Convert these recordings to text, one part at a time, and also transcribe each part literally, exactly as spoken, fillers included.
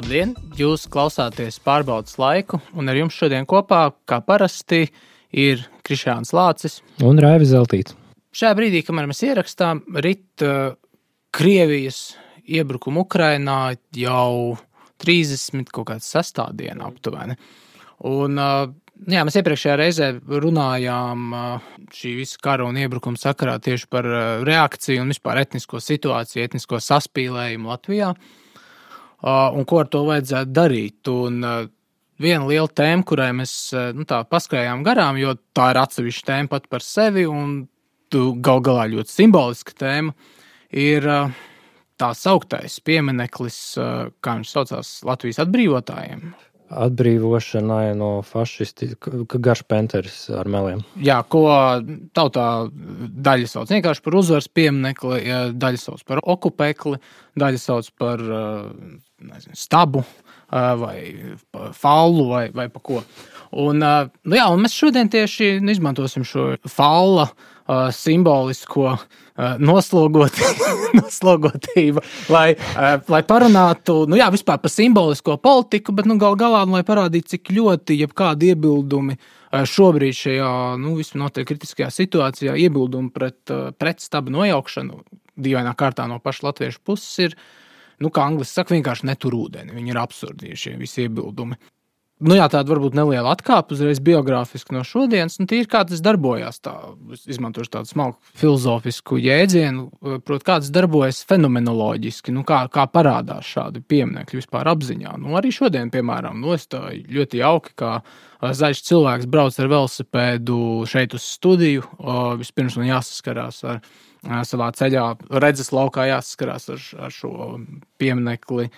Labdien! Jūs klausāties pārbaudas laiku, un ar jums šodien kopā, kā parasti, ir Krišjāns Lācis un Raivis Zeltīts. Šajā brīdī, kamēr mēs ierakstām, rit uh, Krievijas iebrukumu Ukrainā jau trīsdesmit kaut kāds sestā diena aptuveni. Un, uh, jā, mēs iepriekšējā reizē runājām uh, šī visa kara un iebrukuma sakarā tieši par uh, reakciju un vispār etnisko situāciju, etnisko saspīlējumu Latvijā. Uh, un ko ar to vajadzētu darīt. Un uh, viena liela tēma, kurai mēs uh, nu, tā paskrējām garām, jo tā ir atsevišķa tēma pat par sevi, un tu gal galā ļoti simboliska tēma, ir uh, tā sauktais piemineklis, uh, kā viņš saucās, Latvijas atbrīvotājiem. Atbrīvošanai no fašisti, garš penteris ar meliem. Jā, ko tautā daļa sauc vienkārši par uzvaras pieminekli, daļa sauc par okupekli, daļa sauc par nezinu, stabu vai fallu vai, vai pa ko. Un, nu jā, un mēs šodien tieši izmantosim šo falla simbolisko noslogot, noslogotību, lai, lai parunātu, nu jā, vispār par simbolisko politiku, bet nu gal galā, lai parādītu, cik ļoti jebkādi iebildumi šobrīd šajā, nu, vismaz noteikti kritiskajā situācijā, iebildumi pret, pret stabu nojaukšanu dīvainā kārtā no paša latviešu puses ir, nu, kā angliski saka, vienkārši netur ūdeni, viņi ir absurdi šie visi iebildumi. Nu jā, tāda varbūt neliela atkāpa uzreiz biogrāfiski no šodienas, un tīri kā tas darbojās, tā, izmantošu tādu smalku filozofisku jēdzienu, proti, kā tas darbojas fenomenoloģiski, nu kā, kā parādās šādi pieminekļi vispār apziņā. Nu arī šodien, piemēram, nu es tā ļoti jauki, kā zaļš cilvēks brauc ar velosipēdu šeit uz studiju, vispirms man jāsaskarās ar savā ceļā, redzes laukā jāsaskarās ar, ar šo pieminekli,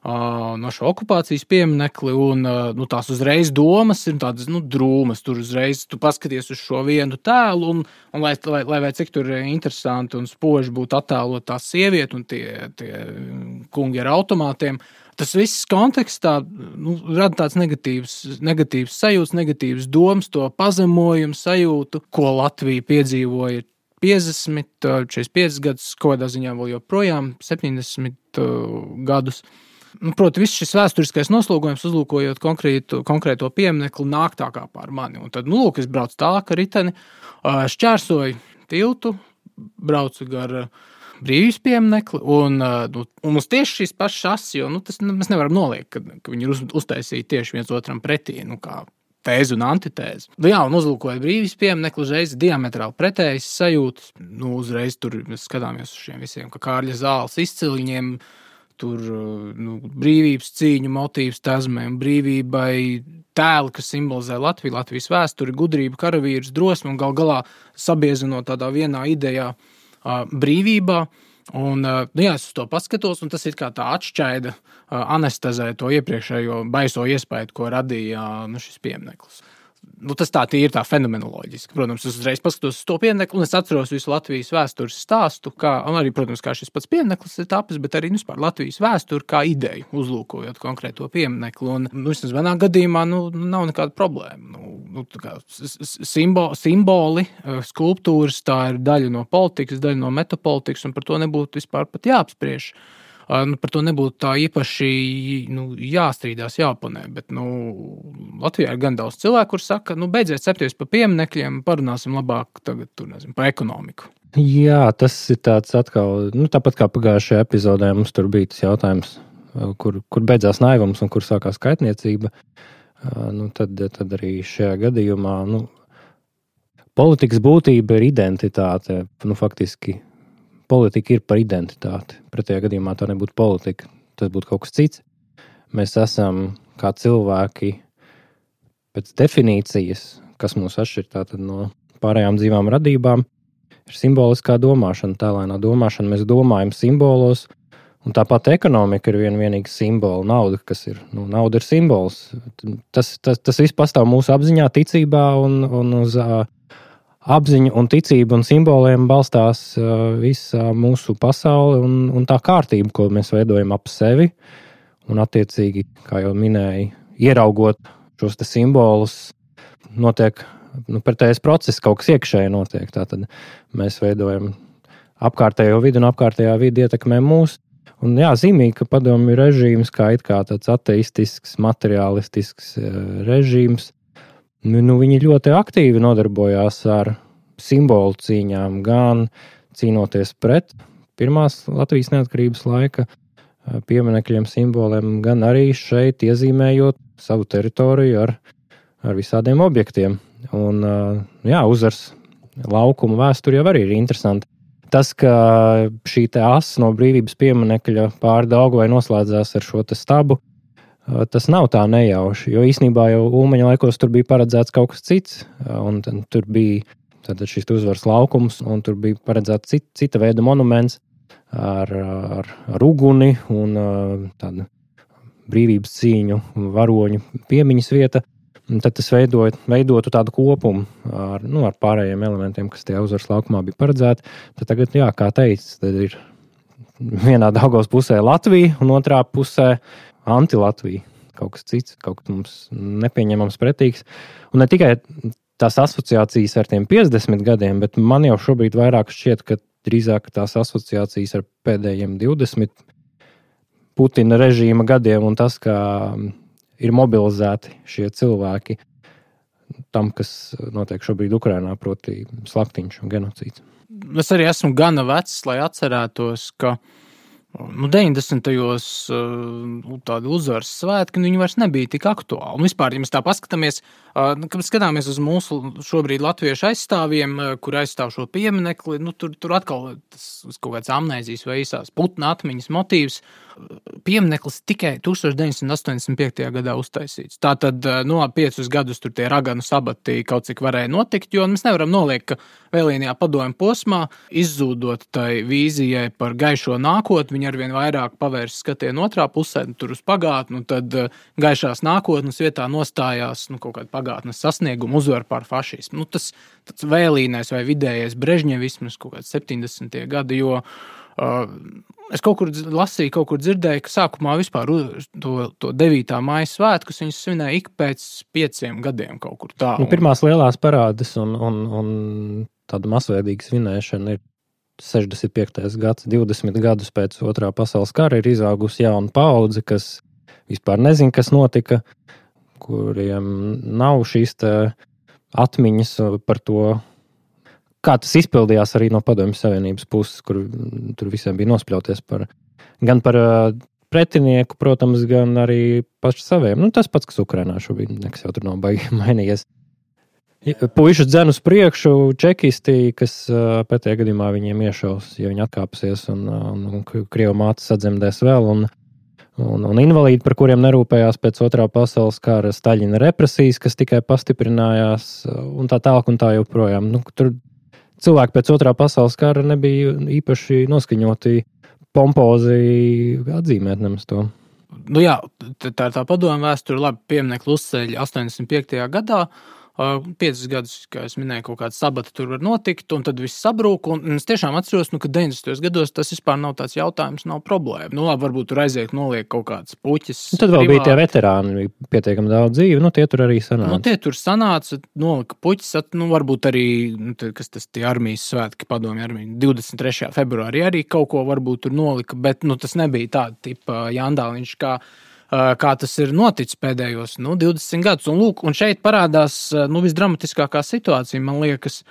no šo okupācijas pieminekli, un nu, tās uzreiz domas ir tādas nu, drūmas. Tur uzreiz tu paskaties uz šo vienu tēlu, un, un lai, lai, lai vai cik tur interesanti un spoži būtu attēlot tā sievieti un tie, tie kungi ar automātiem, tas viss kontekstā nu, rada tāds negatīvs, negatīvs sajūts, negatīvs domas, to pazemojumu sajūtu, ko Latvija piedzīvoja piecdesmit, četrdesmit piecus gadus, kādā ziņā vēl joprojām septiņdesmit gadus. Nu, proti, viss šis vēsturiskais noslogojums, uzlūkojot konkrētu, konkrēto pieminekli, nāk tā kā pār mani. Un tad, nu, lūk, es braucu tālāk ar riteni, šķērsoju tiltu, braucu gar brīvības pieminekli, un, nu, un mums tieši šīs pašas asis, jo nu, tas, mēs nevaram noliekt, ka, ka viņi ir uz, uztaisīti tieši viens otram pretī, nu, kā tēzi un antitēzi. Nu, jā, un uzlūkojot brīvības pieminekli, uzreiz diametrāli pretējas sajūtas. Nu, uzreiz tur mēs skatāmies uz šiem visiem, ka Kārļa Zāles izciliņiem, tur nu, brīvības cīņu motīvs tazmēm, brīvībai tēli, kas simbolizē Latviju, Latvijas vēsturi, gudrību, karavīrus, drosmi un gal galā sabiezinot tādā vienā idejā uh, brīvībā. Un, uh, nu jā, es uz to paskatos, un tas ir kā tā atšķaida uh, anestezē to iepriekšējo baiso iespēju, ko radīja uh, nu, šis piemineklis. Nu, tas tā ir tā fenomenoloģiski. Protams, es uzreiz paskatos uz to pieminekli, un es atceros visu Latvijas vēstures stāstu, kā, un arī, protams, kā šis pats piemineklis ir tapis, bet arī, nu, vispār Latvijas vēsturi kā ideju, uzlūkojot konkrēto pieminekli. Un, nu, vismaz manā gadījumā, nu, nav nekāda problēma. Nu, nu, tā kā simbo, simboli, skulptūras, tā ir daļa no politikas, daļa no metapolitikas, un par to nebūtu vispār pat jāapspriež. Nu, par to nebūtu tā īpaši nu, jāstrīdās, jāoponē, bet nu, Latvijā ir gan daudz cilvēku, kur saka, nu, beidziet cepties pa pieminekļiem, parunāsim labāk tagad, tur, nezinu, pa ekonomiku. Jā, tas ir tāds atkal, nu, tāpat kā pagājušajā epizodē mums tur bija tas jautājums, kur, kur beidzās naivums un kur sākās kaitniecība, nu, tad, tad arī šajā gadījumā, nu, politikas būtība ir identitāte, nu, faktiski, politika ir par identitāti. Pretējā gadījumā tā nebūtu politika. Tas būtu kaut kas cits. Mēs esam kā cilvēki pēc definīcijas, kas mūs atšķir tātad no pārējām dzīvām radībām, ir simboliskā domāšana, tēlēnā domāšana. Mēs domājam simbolos, un tāpat ekonomika ir vien vienīga simbola. Nauda, kas ir, nu, nauda ir simbols. Tas, tas, tas viss pastāv mūsu apziņā, ticībā un, un uz apziņu un ticību un simboliem balstās uh, visa mūsu pasaule un, un tā kārtība, ko mēs veidojam ap sevi. Un attiecīgi, kā jau minēju, ieraugot šos te simbolus, notiek nu, pretējais process, kaut kas iekšēji notiek. Tātad mēs veidojam apkārtējo vidi un apkārtējā vidi ietekmē mūs. Un jā, zīmīgi, ka padomju režīms kā it kā tāds ateistisks, materiālistisks režīms, nu, nu viņi ļoti aktīvi nodarbojās ar simbolu cīņām, gan cīnoties pret pirmās Latvijas neatkarības laika pieminekļiem, simboliem, gan arī šeit iezīmējot savu teritoriju ar, ar visādiem objektiem. Un jā, Uzvaras laukuma vēsture jau arī ir interesanti. Tas, ka šī te asa no brīvības pieminekļa pāri Daugavai noslēdzās ar šo te stabu, tas nav tā nejauši, jo īsnībā jau Ulmaņa laikos tur bija paredzēts kaut kas cits, un tur bija tātad šis Uzvaras laukums, un tur bija paredzēts cita, cita veida monuments ar, ar, ar uguni un tādu brīvības cīņu varoņu piemiņas vieta. Un tad tas veidot, veidotu tādu kopumu ar, nu, ar pārējiem elementiem, kas tajā Uzvaras laukumā bija paredzēti. Tad tagad, jā, kā teicis, tad ir vienā Daugavas pusē Latvija un otrā pusē anti-Latvija. Kaut kas cits, kaut kas mums nepieņemams pretīgs. Un ne tikai tās asociācijas ar tiem piecdesmit gadiem, bet man jau šobrīd vairāk šķiet, ka drīzāk tās asociācijas ar pēdējiem divdesmit Putina režīma gadiem un tas, ka ir mobilizēti šie cilvēki tam, kas notiek šobrīd Ukrainā, proti slaktiņš un genocīds. Es arī esmu gana vecs, lai atcerētos, ka nu, deviņdesmitajos tādi Uzvaras svētki, nu, viņi vairs nebija tik aktuāli. Un vispār, ja mēs tā paskatāmies, kad skatāmies uz mūsu šobrīd latviešu aizstāvjiem, kur aizstāv šo pieminekli, nu, tur, tur atkal tas kaut kāds amnēzijas vai īsās Putna atmiņas motīvs. Piemineklis tikai tūkstoš deviņsimt astoņdesmit piektajā gadā uztaisīts. Tātad no piecus gadus tur tie raganu sabati kaut cik varēja notikt, jo mēs nevaram noliekt, ka vēlīnajā padomju posmā, izzūdot tai vīzijai par gaišo nākotni, viņi arvien vairāk pavērs skatienu otrā pusē, tur uz pagātni, un tad gaišās nākotnes vietā nostājās nu, kaut kāda pagātnes sasnieguma uzvar pār fašismu. Nu, tas tāds vēlīnais vai vidējais brežņevisms kaut kāds septiņdesmitie gadi, jo uh, es kaut kur lasīju, kaut kur dzirdēju, ka sākumā vispār to, to devītā māja svētkus viņus svinēja ik pēc pieciem gadiem kaut kur tā. Un pirmās lielās parādes un, un, un tāda masveidīga svinēšana ir sešdesmit piektais gads, divdesmit gadus pēc otrā pasaules kara ir izaugusi jauna paudze, kas vispār nezin, kas notika, kuriem nav šīs te atmiņas par to, kā tas izpildījās arī no Padomju Savienības puses, kur tur visiem bija nospļauties par, gan par pretinieku, protams, gan arī paši saviem. Nu, tas pats, kas Ukrainā šobrīd, nekas jau tur nav baigi mainījies. Puišu dzen uz priekšu, čekisti, kas pētajā gadījumā viņiem iešaus, ja viņi atkāpsies un, un, un Krievu māte sadzemdēs vēl, un, un, un invalīdi, par kuriem nerūpējās pēc otrā pasaules kara, Staļina represijas, kas tikai pastiprinājās, un tā tālāk un tā joprojām. Nu, tur cilvēki pēc otrā pasaules kara nebija īpaši noskaņoti pompozi atzīmēt nemaz to. Nu jā, tā ir tā padomju vēsture, labi pieminekli uzceļ astoņdesmit piektajā gadā, piecus gadus, kā es minēju, kaut kāds sabata tur var notikt, un tad viss sabrūk, un es tiešām atceros, nu, ka deviņdesmitajos gados tas vispār nav tāds jautājums, nav problēma. Nu, labi, varbūt tur aiziet noliek kaut kāds puķis. Un tad vēl privāti. Bija tie veterāni, pietiekami daudz dzīvi, nu, tie tur arī sanāca. Nu, tie tur sanāca, nolika puķis, nu, varbūt arī, nu, kas tas tie armijas svētki, padomju armija, divdesmit trešajā februārī arī kaut ko varbūt tur nolika, bet, nu, tas nebija tāda tipa jandāliņš, kā kā tas ir noticis pēdējos nu, divdesmit gadus. Un, lūk, un šeit parādās nu, visdramatiskākā situācija, man liekas,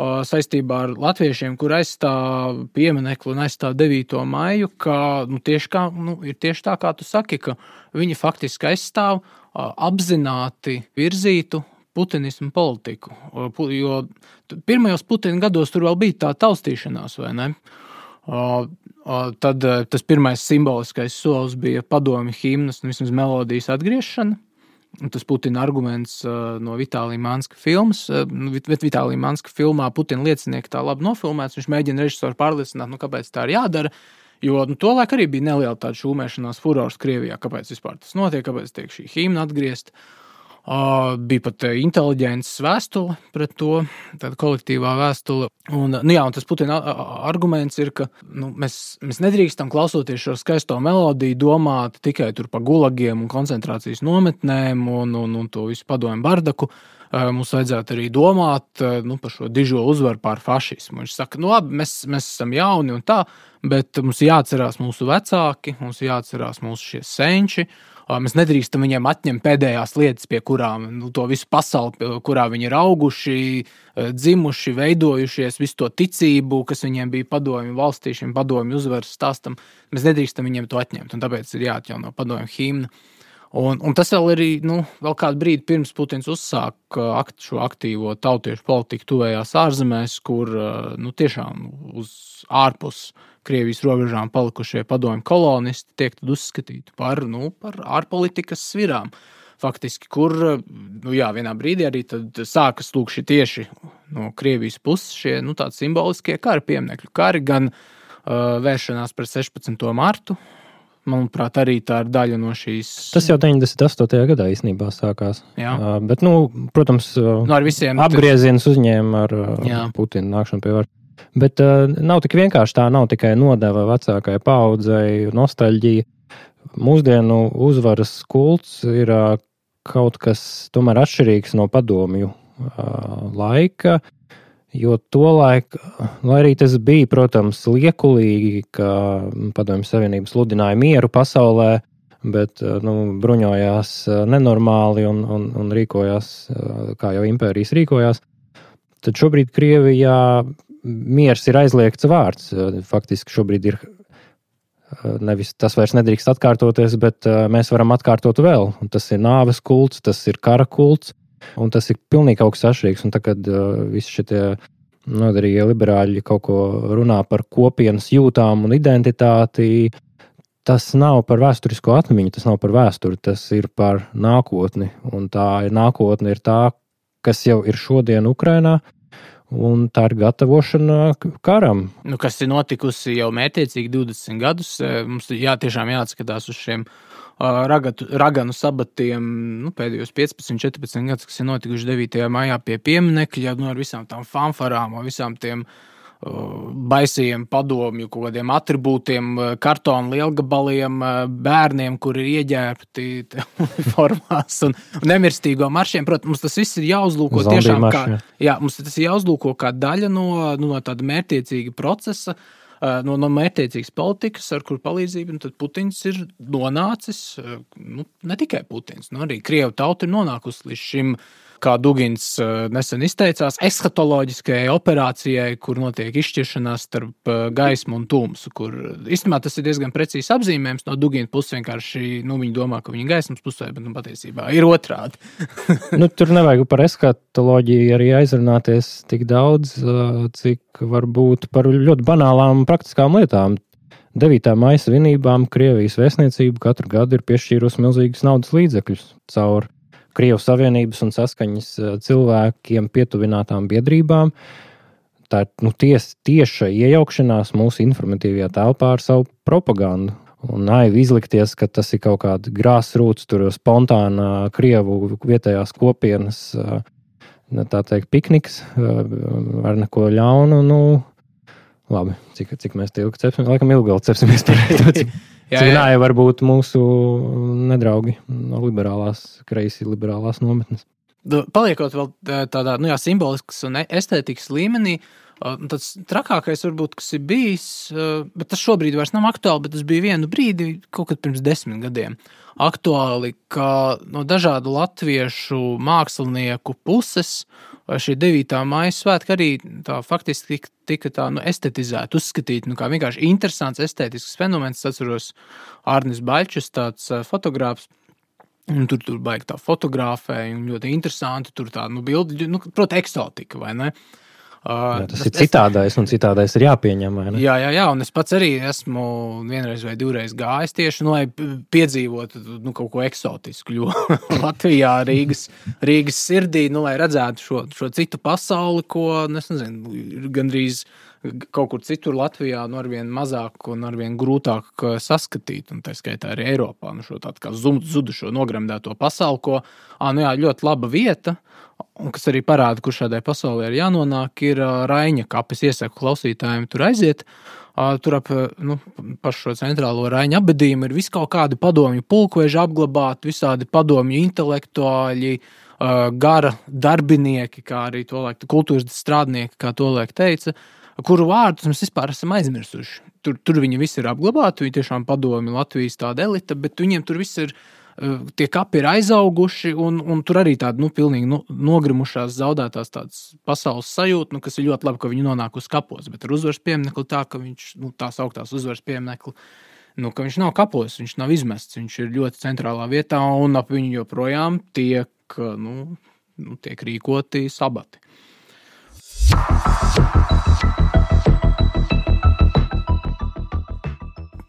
saistībā ar latviešiem, kur aizstāv pieminekli un aizstāv devīto maiju, ka nu, tieši kā, nu, ir tieši tā, kā tu saki, ka viņi faktiski aizstāv apzināti virzītu putinismu politiku. Jo pirmajos Putina gados tur vēl bija tā taustīšanās, vai ne? Tad tas pirmais simboliskais solis bija padomju himnas un vismaz melodijas atgriešana. Tas Putina arguments no Vitālija Manska filmas, bet Vitālija Manska filmā Putina liecinieki tā labi nofilmēts, viņš mēģina režisoru pārliecināt, nu kāpēc tā ir jādara, jo nu, tolaik arī bija neliela tāda šūmēšanās furors Krievijā, kāpēc vispār tas notiek, kāpēc tiek šī himna atgriezt. Uh, bija pat inteliģents vēstule pret to, tāda kolektīvā vēstule. Un, nu jā, un tas Putina arguments ir, ka nu, mēs, mēs nedrīkstam klausoties šo skaisto melodiju domāt tikai tur pa gulagiem un koncentrācijas nometnēm un, un, un to visu padomju bardaku, mums vajadzētu arī domāt nu, par šo dižo uzvaru pār fašismu. Viņš saka, nu labi, mēs, mēs esam jauni un tā, bet mums jāatcerās mūsu vecāki, mums jāatcerās mūsu šie senči. Mēs nedrīkstam viņiem atņemt pēdējās lietas, pie kurām nu, to visu pasauli, kurā viņi ir auguši, dzimuši, veidojušies, visu to ticību, kas viņiem bija padomju valstī, šim padomju uzvaras stāstam. Mēs nedrīkstam viņiem to atņemt, un tāpēc ir jāatjauno padomju himna. Un, un tas vēl arī, nu, vēl kādu brīdi pirms Putins uzsāk akt, šo aktīvo tautiešu politiku tuvējās ārzemēs, kur, nu, tiešām uz ārpus Krievijas robežām palikušie padomju kolonisti tiek tad uzskatīti par, nu, par ārpolitikas svirām. Faktiski, kur, nu jā, vienā brīdī arī tad sākas lūk šie tieši no Krievijas puses šie, nu, tādi simboliskie kara pieminekļu kari, gan uh, vēršanās pret sešpadsmito martu, manuprāt, arī tā ir daļa no šīs... Tas jau deviņdesmit astotajā gadā īstenībā sākās. Jā. Uh, bet, nu, protams, uh, no ar visiem... apgriezienus uzņēma ar uh, Jā. Putina nākšanu pie varas. Bet uh, nav tik vienkārši tā, nav tikai nodeva vecākai paaudzei, nostalģija. Mūsdienu uzvaras kults ir uh, kaut kas tomēr atšķirīgs no padomju uh, laika, jo tolaik, lai arī tas bija, protams, liekulīgi, ka Padomju Savienība sludināja mieru pasaulē, bet nu, bruņojās nenormāli un, un, un rīkojās, kā jau impērijas rīkojās, tad šobrīd Krievijā miers ir aizliegts vārds. Faktiski šobrīd ir nevis tas vairs nedrīkst atkārtoties, bet mēs varam atkārtot vēl. Un tas ir nāves kults, tas ir kara kults. Un tas ir pilnīgi kaut kas atšķirīgs. Un tagad uh, visi šitie noderīgie liberāļi kaut ko runā par kopienas jūtām un identitāti. Tas nav par vēsturisko atmiņu, tas nav par vēsturi, tas ir par nākotni. Un tā ir nākotne ir tā, kas jau ir šodien Ukrainā, un tā ir gatavošana karam. Nu, kas ir notikusi jau mērķiecīgi divdesmit gadus. Mums jā, tiešām jāatskatās uz šiem Ragatu, raganu sabatiem nu, pēdējos piecpadsmit četrpadsmit gadus, kas ir notikuši devītajā maijā pie pieminekļa, nu, ar visām tām fanfarām, ar visām tiem uh, baisajiem padomju, kaut kādiem atribūtiem, kartonu lielgabaliem, bērniem, kuri ir ieģērbti uniformās un, un nemirstīgo maršiem. Protams, mums tas viss ir jāuzlūko Zombiju tiešām marši, kā, jā, mums tas ir jāuzlūko kā daļa no, nu, no tāda mērķiecīga procesa, No, no mērķtiecīgas politikas, ar kur palīdzību tad Putins ir nonācis, nu, ne tikai Putins, nu, arī Krievu tauta ir nonākusi līdz šim, kā Dugins nesen izteicās, eskatoloģiskajai operācijai, kur notiek izšķiršanās starp gaismu un tumsu, kur īstenībā tas ir diezgan precīzi apzīmējums no Dugina puses, vienkārši, nu, viņi domā, ka viņi gaismas pusē, bet, nu, patiesībā ir otrādi. Nu, tur nevajag par eskatoloģiju arī aizrunāties tik daudz, cik varbūt par ļoti banālām praktiskām lietām. devītā maija svinībām Krievijas vēstniecība katru gadu ir piešķīrusi milzīgas naudas līdzekļus caur Krievu Savienības un saskaņas cilvēkiem pietuvinātām biedrībām. Tā ir nu, ties, tieša iejaukšanās mūsu informatīvajā telpā ar savu propagandu. Un naivi izlikties, ka tas ir kaut kāda grassroots, tur spontāna Krievu vietējās kopienas, tā teikt, pikniks ar neko ļaunu. Nu, labi, cik, cik mēs te ilgi cepsim? Laikam ilgi vēl cepsimies par to, cik, jā, cik nāja varbūt mūsu nedraugi no liberālās, kreisi liberālās nometnes. Paliekot vēl tādā, nu jā, simboliskas un estētikas līmenī, tāds trakākais varbūt, kas ir bijis, bet tas šobrīd vairs nav aktuāli, bet tas bija vienu brīdi, kaut kad pirms desmit gadiem, aktuāli, ka no dažādu latviešu mākslinieku puses šī devītā maija svētki arī tā faktiski tika, tika tā, nu, estetizēta, uzskatīta, nu, kā vienkārši interesants estētisks fenomens. Es atceros Arnis Baļčus, tāds fotogrāfs, un tur, tur baigi tā fotografēja, un ļoti interesanti, tur tā, nu, bildi, nu, proti, eksotika, vai ne? Jā, tas ir citādais, un citādais ir jāpieņem, vai ne? Jā, jā, jā, un es pats arī esmu vienreiz vai divreiz gājis tieši, nu, lai piedzīvotu, nu, kaut ko eksotisku, jo Latvijā, Rīgas, Rīgas sirdī, nu, lai redzētu šo, šo citu pasauli, ko, es nezinu, ir gandrīz kaut kur citur Latvijā, nu, arvien mazāk un arvien grūtāk saskatīt, un tā skaitā arī Eiropā, nu, šo tādu kā zudušo nogremdēto pasauli, ko, ā, nu, jā, ļoti laba vieta, un kas arī parāda, kur šādai pasaulē ir jānonāk, ir Raiņa kapes. Iesaku klausītājiem tur aiziet. Tur ap nu, pašu šo centrālo Raiņa apbedījumu ir viskaut kādi padomju pulkveži apglabāti, visādi padomju intelektuāļi, uh, gara darbinieki, kā arī to laik kultūras strādnieki, kā to laik teica, kuru vārdus mēs vispār esam aizmirsuši. Tur, tur viņi visi ir apglabāti, viņi tiešām padomi Latvijas tāda elita, bet viņiem tur viss ir, uh, tie kapi ir aizauguši, un, un tur arī tāda, nu, pilnīgi no, nogrimušās, zaudētās tādas pasaules sajūta, nu, kas ir ļoti labi, ka viņi nonāk uz kapos, bet ar uzvaras pieminekli tā, ka viņš, nu, tās augtās uzvaras pieminekli, nu, ka viņš nav kapos, viņš nav izmests, viņš ir ļoti centrālā vietā, un ap viņu joprojām tiek, nu, nu tiek rīkoti sabati.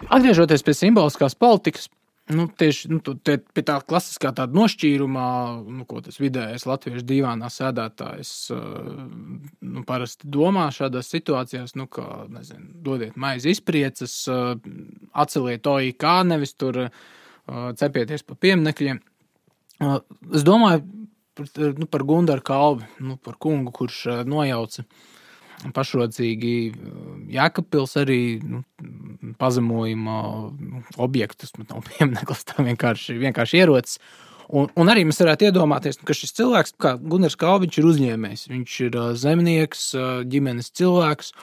Atgriežoties pie simboliskās politikas, nu, tieši nu, tie, pie tā klasiskā tāda nošķīrumā, nu, ko tas vidējais latviešu dīvānā sēdētājs nu, parasti domā šādās situācijās, nu, ka, nezinu, dodiet maizi izpriecas, atceliet O I K, nevis tur cepieties pa pieminekļiem. Es domāju nu, par Gundaru Kalvi, nu, par kungu, kurš nojauca pašrocīgi Jēkabpils arī nu, pazemojuma objektus, nu, nav piemineklis, tā vienkārši, vienkārši ierocis. Un, un arī mēs varētu iedomāties, ka šis cilvēks, kā Gundars Kalviņš, ir uzņēmējs. Viņš ir zemnieks, ģimenes cilvēks,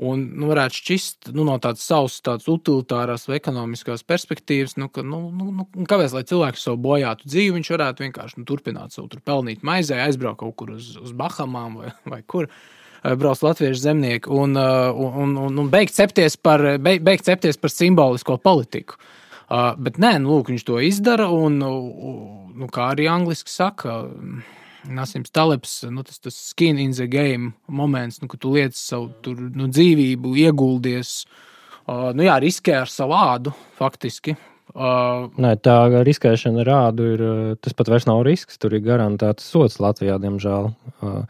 un nu, varētu šķist nu, no tādas savas tādas utilitārās vai ekonomiskās perspektīvas, nu, ka, nu, nu, kāpēc, lai cilvēks savu bojātu dzīvi, viņš varētu vienkārši nu, turpināt savu tur pelnīt maizē, aizbraukt kaut kur uz, uz Bahamām vai, vai kur. Brauc latviešu zemnieki un, un, un, un beigt cepties par, beigt, beigt cepties par simbolisko politiku. Uh, bet nē, nu, lūk, viņš to izdara un, nu, kā arī angliski saka, Nasims Talebs, nu, tas, tas skin in the game moments, nu, ka tu liec savu tur, nu, dzīvību, ieguldies, uh, nu jā, riskē ar savu ādu, faktiski. Uh, Nē, tā riskēšana ar ādu ir, tas pat vairs nav risks, tur ir garantēts sods Latvijā, diemžēl. Uh,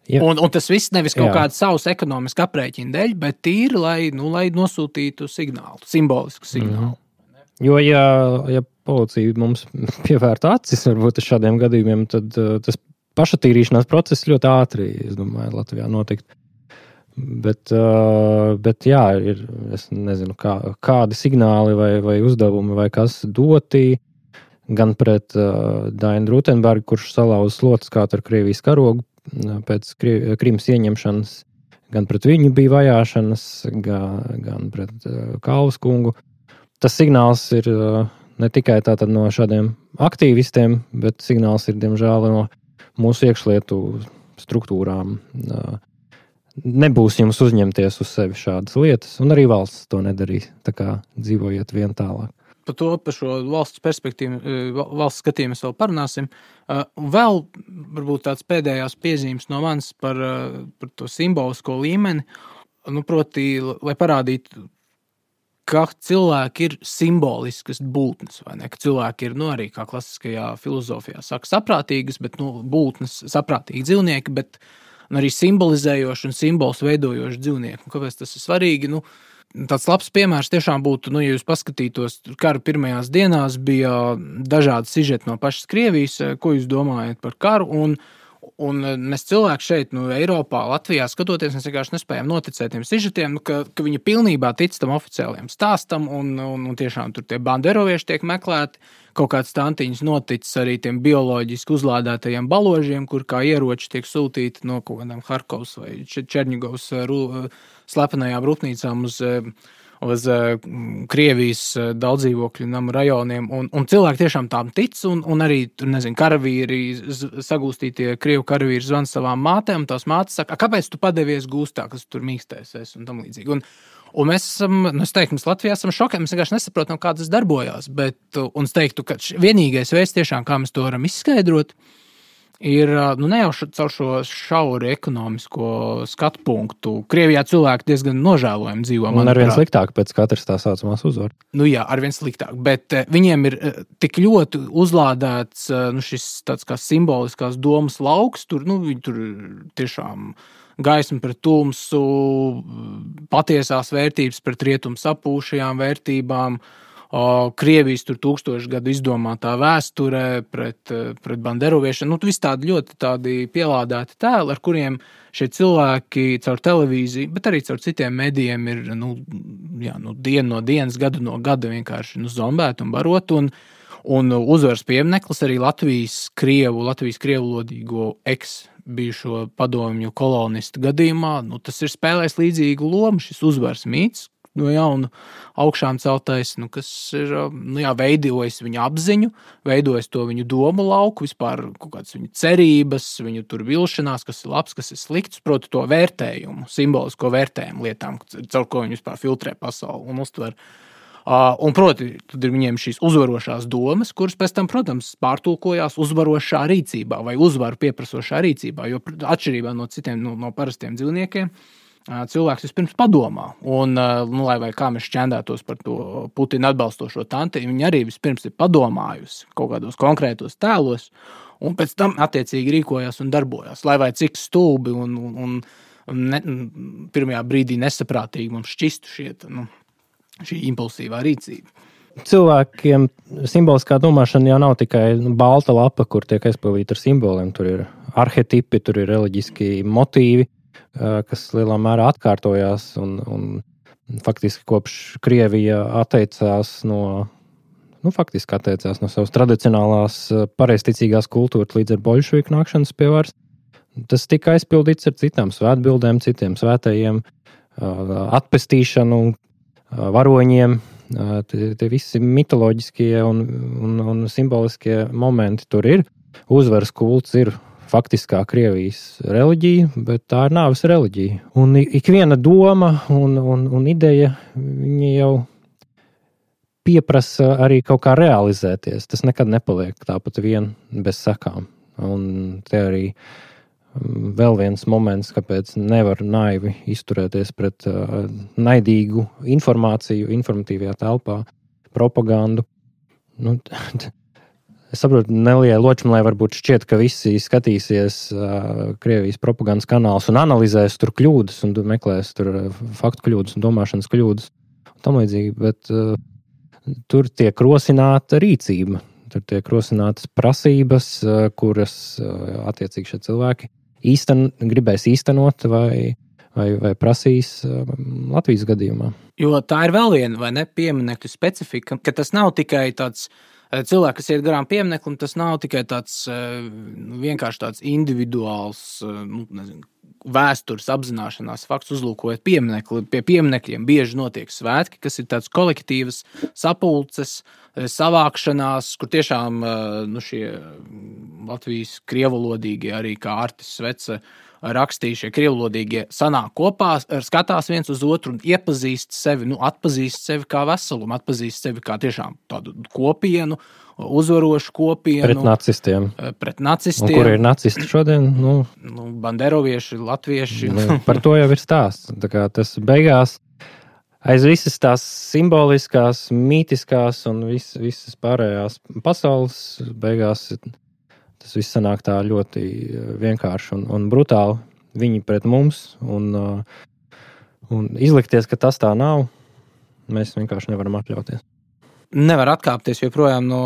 Ja. Un, un tas viss nevis kaut kāda savas ekonomiska aprēķina dēļ, bet tīri, lai, nu, lai nosūtītu signālu, simbolisku signālu. Mm. Jo, ja, ja policija mums pievērta acis varbūt uz šādiem gadījumiem, tad uh, tas pašatīrīšanās process ļoti ātri, es domāju, Latvijā notikt. Bet, uh, bet jā, ir, es nezinu, kā, kādi signāli vai, vai uzdevumi vai kas doti gan pret uh, Dainu Rutenbergu, kurš salauz slotas kā ar Krievijas karogu, pēc Krimas ieņemšanas, gan pret viņu bija vajāšanas, gan, gan pret uh, Kalvas kungu. Tas signāls ir uh, ne tikai tātad no šādiem aktīvistiem, bet signāls ir, diemžēl, no mūsu iekšlietu struktūrām. Uh, nebūs jums uzņemties uz sevi šādas lietas, un arī valsts to nedarīs, tā kā dzīvojiet vien tālāk. Par to, par šo valsts perspektīvu, valsts skatījumu mēs vēl parunāsim. Vēl varbūt tāds pēdējās piezīmes no manis par, par to simbolisko līmeni, nu, proti, lai parādītu, ka cilvēki ir simboliskas būtnes, vai ne? Ka cilvēki ir, nu, arī kā klasiskajā filozofijā saka, saprātīgas, bet, nu, būtnes, saprātīgi dzīvnieki, bet nu, arī simbolizējoši un simbols veidojoši dzīvnieki. Un kāpēc tas ir svarīgi? Nu, tāds labs piemērs tiešām būtu, nu, ja jūs paskatītos, kara pirmajās dienās bija dažādi sižeti no pašas Krievijas, ko jūs domājat par karu, un, un mēs cilvēki šeit, nu, Eiropā, Latvijā skatoties, mēs vienkārši nespējam noticēt tiem sižetiem, nu, ka, ka viņi pilnībā tic tam oficiāliem stāstam, un, un, un tiešām tur tie banderovieši tiek meklēti, kaut kāds tantiņas noticis arī tiem bioloģiski uzlādētajiem baložiem, kur kā ieroči tiek sūtīti no kaut kādām Harkovas vai Čerņigovas slepenajām rūpnīcām uz, uz Krievijas daudzdzīvokļu namu rajoniem. Un, un cilvēki tiešām tām tic, un, un arī, tur, nezinu, karavīri, sagūstītie Krievu karavīri zvan savām mātēm, un tās mātes saka, kāpēc tu padevies gūstā, kas tur mīkstēsies, un tam līdzīgi. Un, Un mēs esam, nu es teiktu, mēs Latvijā esam šokē, mēs vienkārši nesaprotam, kā tas darbojās, bet, un es teiktu, ka vienīgais veids tiešām, kā mēs to varam izskaidrot, ir, nu ne jau caur šo šauri ekonomisko skatu punktu. Krievijā cilvēki diezgan nožēlojami dzīvo. Un arvien sliktāk pēc katras tā saucamās uzvaras. Nu jā, arvien sliktāk, bet viņiem ir tik ļoti uzlādēts, nu šis tāds kā simboliskās domas lauks, tur, nu viņi tur tiešām gaisma pret tumsu, patiesās vērtības pret rietumu sapūšajām vērtībām, Krievijas tur tūkstošu gadu izdomātā vēsture pret, pret banderoviešanu. Nu, viss tādi ļoti tādi pielādēti tēli, ar kuriem šie cilvēki caur televīziju, bet arī caur citiem medijiem ir nu, jā, nu, dienu no dienas, gadu no gada vienkārši nu, zombēti un barot. Un, Un uzvaras piemineklis arī Latvijas krievu, Latvijas krievulodīgo eks bijušo padomju kolonistu gadījumā, nu, tas ir spēlējis līdzīgu lomu, šis uzvaras mīts, no jauna augšām celtais, nu, kas ir, nu, jā, veidojas viņu apziņu, veidojas to viņu domu lauku, vispār kaut kādas viņu cerības, viņu tur vilšanās, kas ir labs, kas ir slikts, proti to vērtējumu, simbolisko vērtējumu lietām, caur ko viņi vispār filtrē pasauli un uztver. Uh, un, proti, tad ir viņiem šīs uzvarošās domas, kuras pēc tam, protams, pārtulkojās uzvarošā rīcībā vai uzvaru pieprasošā rīcībā, jo atšķirībā no citiem, no, no parastiem dzīvniekiem, uh, cilvēks vispirms padomā. Un, uh, nu, lai vai kā mēs šķendētos par to Putina atbalstošo tanti, viņi arī vispirms ir padomājusi kaut kādos konkrētos tēlos, un pēc tam attiecīgi rīkojās un darbojās. Lai vai cik stulbi un, un, un ne, pirmajā brīdī nesaprātīgi mums šķistu šiet, nu, šī impulsīvā rīcība. Cilvēkiem simboliskā domāšana jau nav tikai balta lapa, kur tiek aizpildīta ar simboliem. Tur ir arhetipi, tur ir reliģiski motīvi, kas lielā mērā atkārtojās. Un, un faktiski kopš Krievija atteicās no, nu, faktiski atteicās no savas tradicionālās pareizticīgās kultūras līdz ar boļševiku nākšanas pie varas. Tas tika aizpildīts ar citām svētbildēm, citiem svētajiem, atpestīšanu, varoņiem, tie, tie visi mitoloģiskie un, un, un simboliskie momenti tur ir. Uzvaras kults ir faktiskā Krievijas reliģija, bet tā ir nāves reliģija. Un ikviena doma un, un, un ideja, viņa jau pieprasa arī kaut kā realizēties. Tas nekad nepaliek tāpat vien bez sekām. Un te arī vēl viens moments, kāpēc nevar naivi izturēties pret uh, naidīgu informāciju informatīvajā telpā, propagandu. Nu, es saprotu, Nelijai Ločmanai varbūt šķiet, ka visi skatīsies uh, Krievijas propagandas kanālus un analizēs tur kļūdas un meklēs tur faktu kļūdas un domāšanas kļūdas un tam līdzīgi, bet uh, tur tiek rosināta rīcība, tur tiek rosinātas prasības, uh, kuras uh, attiecīgi šie cilvēki īsten, gribēs īstenot vai, vai, vai prasīs um, Latvijas gadījumā. Jo tā ir vēl viena, vai ne, pieminekļu specifika, ka tas nav tikai tāds cilvēks, kas iet garām piemineklim, tas nav tikai tāds vienkārši tāds individuāls, nu, nezinu, vēstures apzināšanās fakts, uzlūkojot pieminekli. Pie pieminekļiem bieži notiek svētki, kas ir tāds kolektīvas sapulces, savākšanās, kur tiešām nu, šie Latvijas krievulodīgie, arī kā Artis Svece rakstīja, šie krievulodīgie sanāk kopā, skatās viens uz otru un iepazīst sevi, nu, atpazīst sevi kā veselumu, atpazīst sevi kā tiešām tādu kopienu, uzvarošu kopienu. Pret nacistiem. Pret nacistiem. Un kur ir nacisti šodien? Nu, nu, banderovieši, latvieši. Nu, par to jau ir stāsts. Tā kā tas beigās aiz visas tās simboliskās, mītiskās un vis, visas pārējās pasaules beigās tas viss sanāk tā ļoti vienkārši un, un brutāli. Viņi pret mums un, un izlikties, ka tas tā nav, mēs vienkārši nevaram atļauties. Nevar atkāpties joprojām no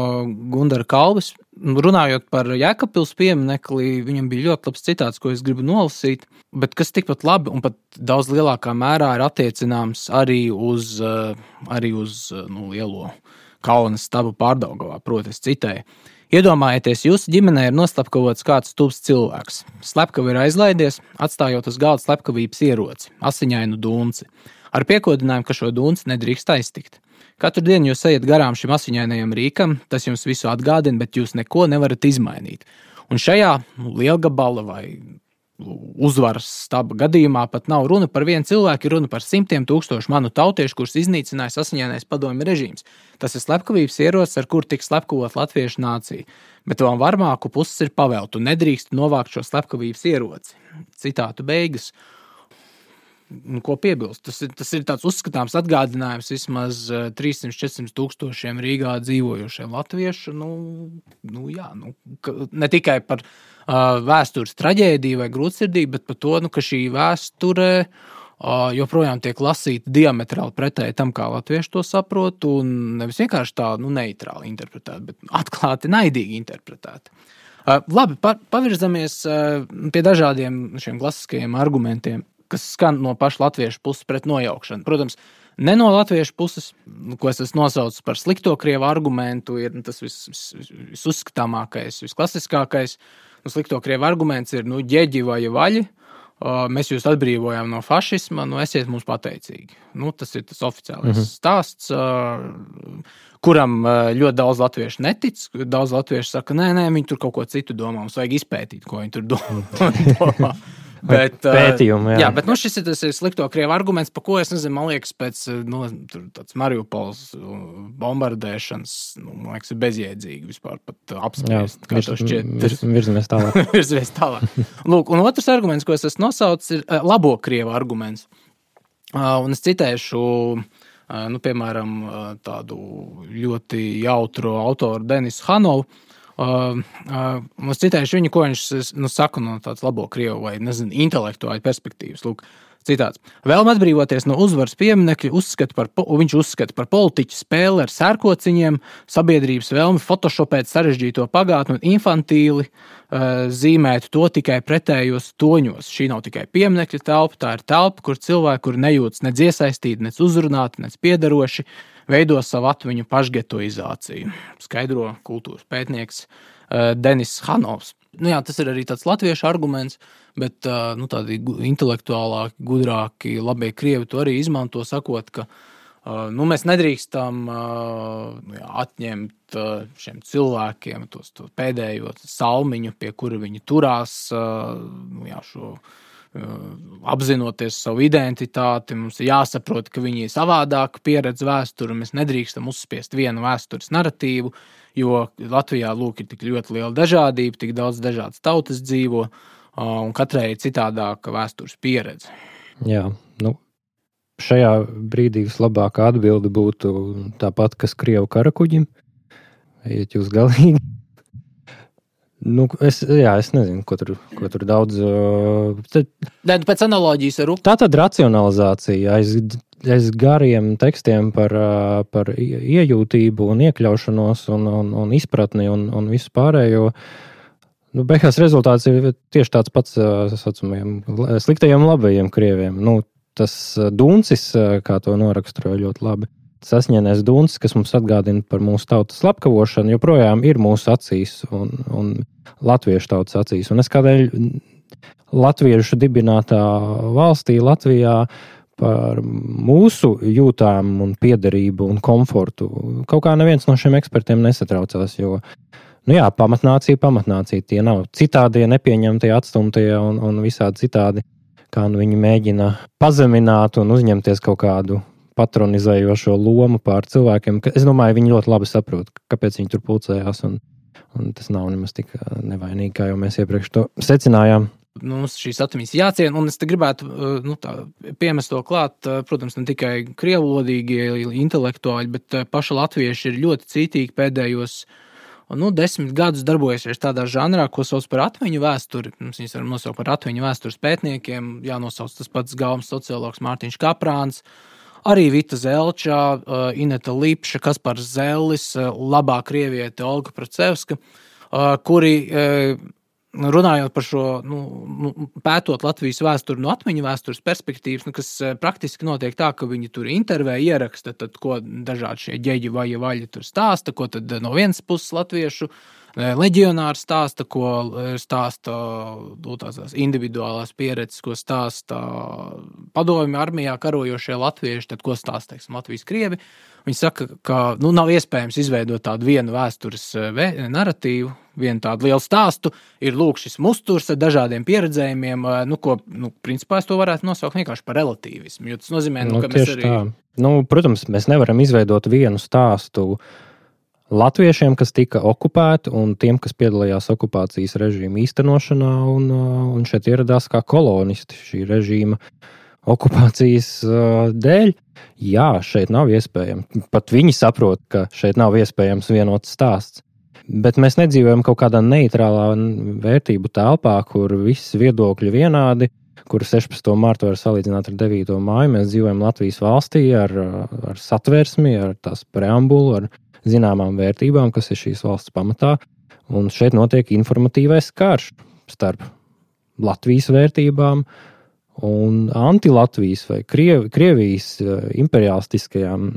Gundara Kalves. Runājot par Jēkabpils pieminekli, viņam bija ļoti labs citāts, ko es gribu nolasīt, bet kas tikpat labi un pat daudz lielākā mērā ir attiecināms arī uz, arī uz nu, lielo Kaunas stabu Pārdaugavā, proti es citēju. Iedomājieties, jūsu ģimenē ir noslapkavots kāds tuvs cilvēks. Slepkava ir aizlaidies, atstājot uz galda slepkavības ieroci, asiņainu dunci, ar piekodinājumu, ka šo dunci nedrīkst aiztikt. Katru dienu jūs ejat garām šim asiņainajam rīkam, tas jums visu atgādina, bet jūs neko nevarat izmainīt. Un šajā nu, lielgabala vai uzvaras staba gadījumā pat nav runa par vienu cilvēku, ir runa par simtiem tūkstošu manu tautiešu, kurus iznīcinājis asiņainais padomju režīms. Tas ir slepkavības ierocis, ar kur tiks slepkavot latviešu nācija. Bet vēl varmāku puses ir pavēltu, nedrīkst novākt šo slepkavības ieroci. Citātu beigas. Ko piebilst? Tas ir, tas ir tāds uzskatāms atgādinājums vismaz trīssimt līdz četrsimt tūkstošiem Rīgā dzīvojošiem latviešu. Nu, nu, jā, nu, ne tikai par uh, vēstures traģēdiju vai grūtsirdību, bet par to, nu, ka šī vēsture uh, joprojām tiek lasīta diametrāli pretēji tam, kā latvieši to saprot, un nevis vienkārši tā nu, neitrāli interpretēt, bet atklāti naidīgi interpretēt. Uh, labi, pa, pavirzamies uh, pie dažādiem šiem klasiskajiem argumentiem. kas skan no paša latviešu puses pret nojaukšanu. Protams, ne no latviešu puses, ko es esmu nosaucis par slikto krievu argumentu, ir tas vis, vis, visuzskatāmākais, visklasiskākais. Nu, slikto krievu arguments ir, nu, ģeģi vai vaļi, mēs jūs atbrīvojām no fašisma, nu, esiet mums pateicīgi. Nu, tas ir tas oficiālais mm-hmm. stāsts, kuram ļoti daudz latviešu netic. Daudz latviešu saka, nē, nē, viņi tur kaut ko citu domā, mums vajag izpētīt, ko viņi tur domā. Bet, Pētījumi, jā. jā, bet nu, šis ir tas slikto krievu arguments, pa ko es nezinu, man liekas, pēc nu, tāds Mariupols bombardēšanas, nu, man liekas, ir bezjēdzīgi vispār pat apspriest, kā to šķiet. Virs, virzamies tālāk. virzamies tālāk. Lūk, un otrs arguments, ko es esmu nosaucis, ir labo krievu arguments. Un es citēšu, nu, piemēram, tādu ļoti jautru autoru Denisu Hanovu. Uh, uh, es citēšu viņu, ko viņš nu, saka no tāds labo krievu vai, nezinu, intelektuāļu perspektīvas. Lūk, citāts. Vēlme atbrīvoties no uzvaras pieminekļa, uzskata par, viņš uzskata par politiķu spēli ar sērkociņiem, sabiedrības vēlmi photoshopēt sarežģīto pagātni un infantīli uh, zīmēt to tikai pretējos toņos. Šī nav tikai pieminekļa telpa, tā ir telpa, kur cilvēki, kur nejūtas nec iesaistīti, nec uzrunāti, nec piederoši, veido savu atmiņu pašgetoizāciju, skaidro kultūras pētnieks uh, Denis Hanovs. Nu jā, tas ir arī tāds latviešu arguments, bet uh, nu, tādi intelektuālāki, gudrāki, labie krievi to arī izmanto, sakot, ka uh, nu, mēs nedrīkstam uh, jā, atņemt uh, šiem cilvēkiem tos, to pēdējo salmiņu, pie kura viņi turās, uh, nu, jā, šo apzinoties savu identitāti, mums ir jāsaprot, ka viņi ir savādāk pieredze vēsturi, mēs nedrīkstam uzspiest vienu vēstures naratīvu, jo Latvijā, lūk, ir tik ļoti liela dažādība, tik daudz dažādas tautas dzīvo, un katrai ir citādāka vēstures pieredze. Jā, nu, šajā brīdī vislabākā atbilde būtu tāpat, kas krievu karakuģim, ejiet jūs galīgi. Nu, es, jā, es nezinu, ko tur, ko tur daudz... Uh, tad, pēc analoģijas ar Rupu. Tā tad racionalizācija aiz, aiz gariem tekstiem par, uh, par iejūtību un iekļaušanos un, un, un izpratni un, un visu pārējo. Nu, beigās rezultāts ir tieši tāds pats uh, saucamajiem sliktajiem labajiem krieviem. Nu, tas Duncis, kā to noraksturoja ļoti labi. Sasņēnēs Duncis, kas mums atgādina par mūsu tautas slepkavošanu, joprojām ir mūsu acīs un, un latviešu tautas acīs. Un es kādēļ latviešu dibinātā valstī Latvijā par mūsu jūtām un piederību un komfortu kaut kā neviens no šiem ekspertiem nesatraucās, jo, nu jā, pamatnācija, pamatnācija, tie nav citādie, nepieņemtie, atstumtie un, un visādi citādi, kā nu viņi mēģina pazemināt un uzņemties kaut kādu patronizējošo lomu pār cilvēkiem. Es domāju, viņi ļoti labi saprot, kāpēc viņi tur pulcējās, un, un tas nav nemaz tik nevainīgi, kā jau mēs iepriekš to secinājām. Mums šīs atmiņas jāciena, un es te gribētu nu, tā, piemest to klāt, protams, ne tikai krievlodīgie intelektuāļi, bet paši latvieši ir ļoti cītīgi pēdējos nu, desmit gadus darbojušies tādā žanrā, ko sauc par atmiņu vēsturi. Mums viņus varam nosaukt par atmiņu vēstures pētniekiem, jānosauc tas pats galvas sociologs Mārtiņš Kaprāns, arī Vita Zelčā, Ineta Lipša, Kaspars Zellis, labā krieviete Olga Procevska, kuri runājot par šo, nu, pētot Latvijas vēsturi no atmiņu vēstures perspektīvas, nu, kas praktiski notiek tā, ka viņi tur intervē, ieraksta, tad, ko dažādi šie ģeģi vai vaļi tur stāsta, ko tad no vienas puses latviešu leģionāri stāsta, ko stāsta tās individuālās pieredzes, ko stāsta padomju armijā karojošie latvieši, tad ko stāsta, teiksim, Latvijas krievi. Viņi saka, ka nu, nav iespējams izveidot tādu vienu vēstures naratīvu, vienu tādu lielu stāstu, ir lūk šis musturs ar dažādiem pieredzējumiem, nu, ko, nu, principā es to varētu nosaukt vienkārši par relatīvismu, jo tas nozīmē, nu, nu, ka mēs arī... Tā. Nu, protams, mēs nevaram izveidot vienu stāstu latviešiem, kas tika okupēti, un tiem, kas piedalījās okupācijas režīma īstenošanā, un, un šeit ieradās kā kolonisti šī režīma okupācijas dēļ. Jā, šeit nav iespējams. Pat viņi saprot, ka šeit nav iespējams vienots stāsts. Bet mēs nedzīvojam kaut kādā neitrālā vērtību telpā, kur viss viedokļi vienādi, kur sešpadsmito martu var salīdzināt ar devīto māju. Mēs dzīvojam Latvijas valstī ar, ar satversmi, ar tās preambulu, ar zināmām vērtībām, kas ir šīs valsts pamatā, un šeit notiek informatīvais karš starp Latvijas vērtībām un anti-Latvijas vai Kriev, Krievijas imperialistiskajām,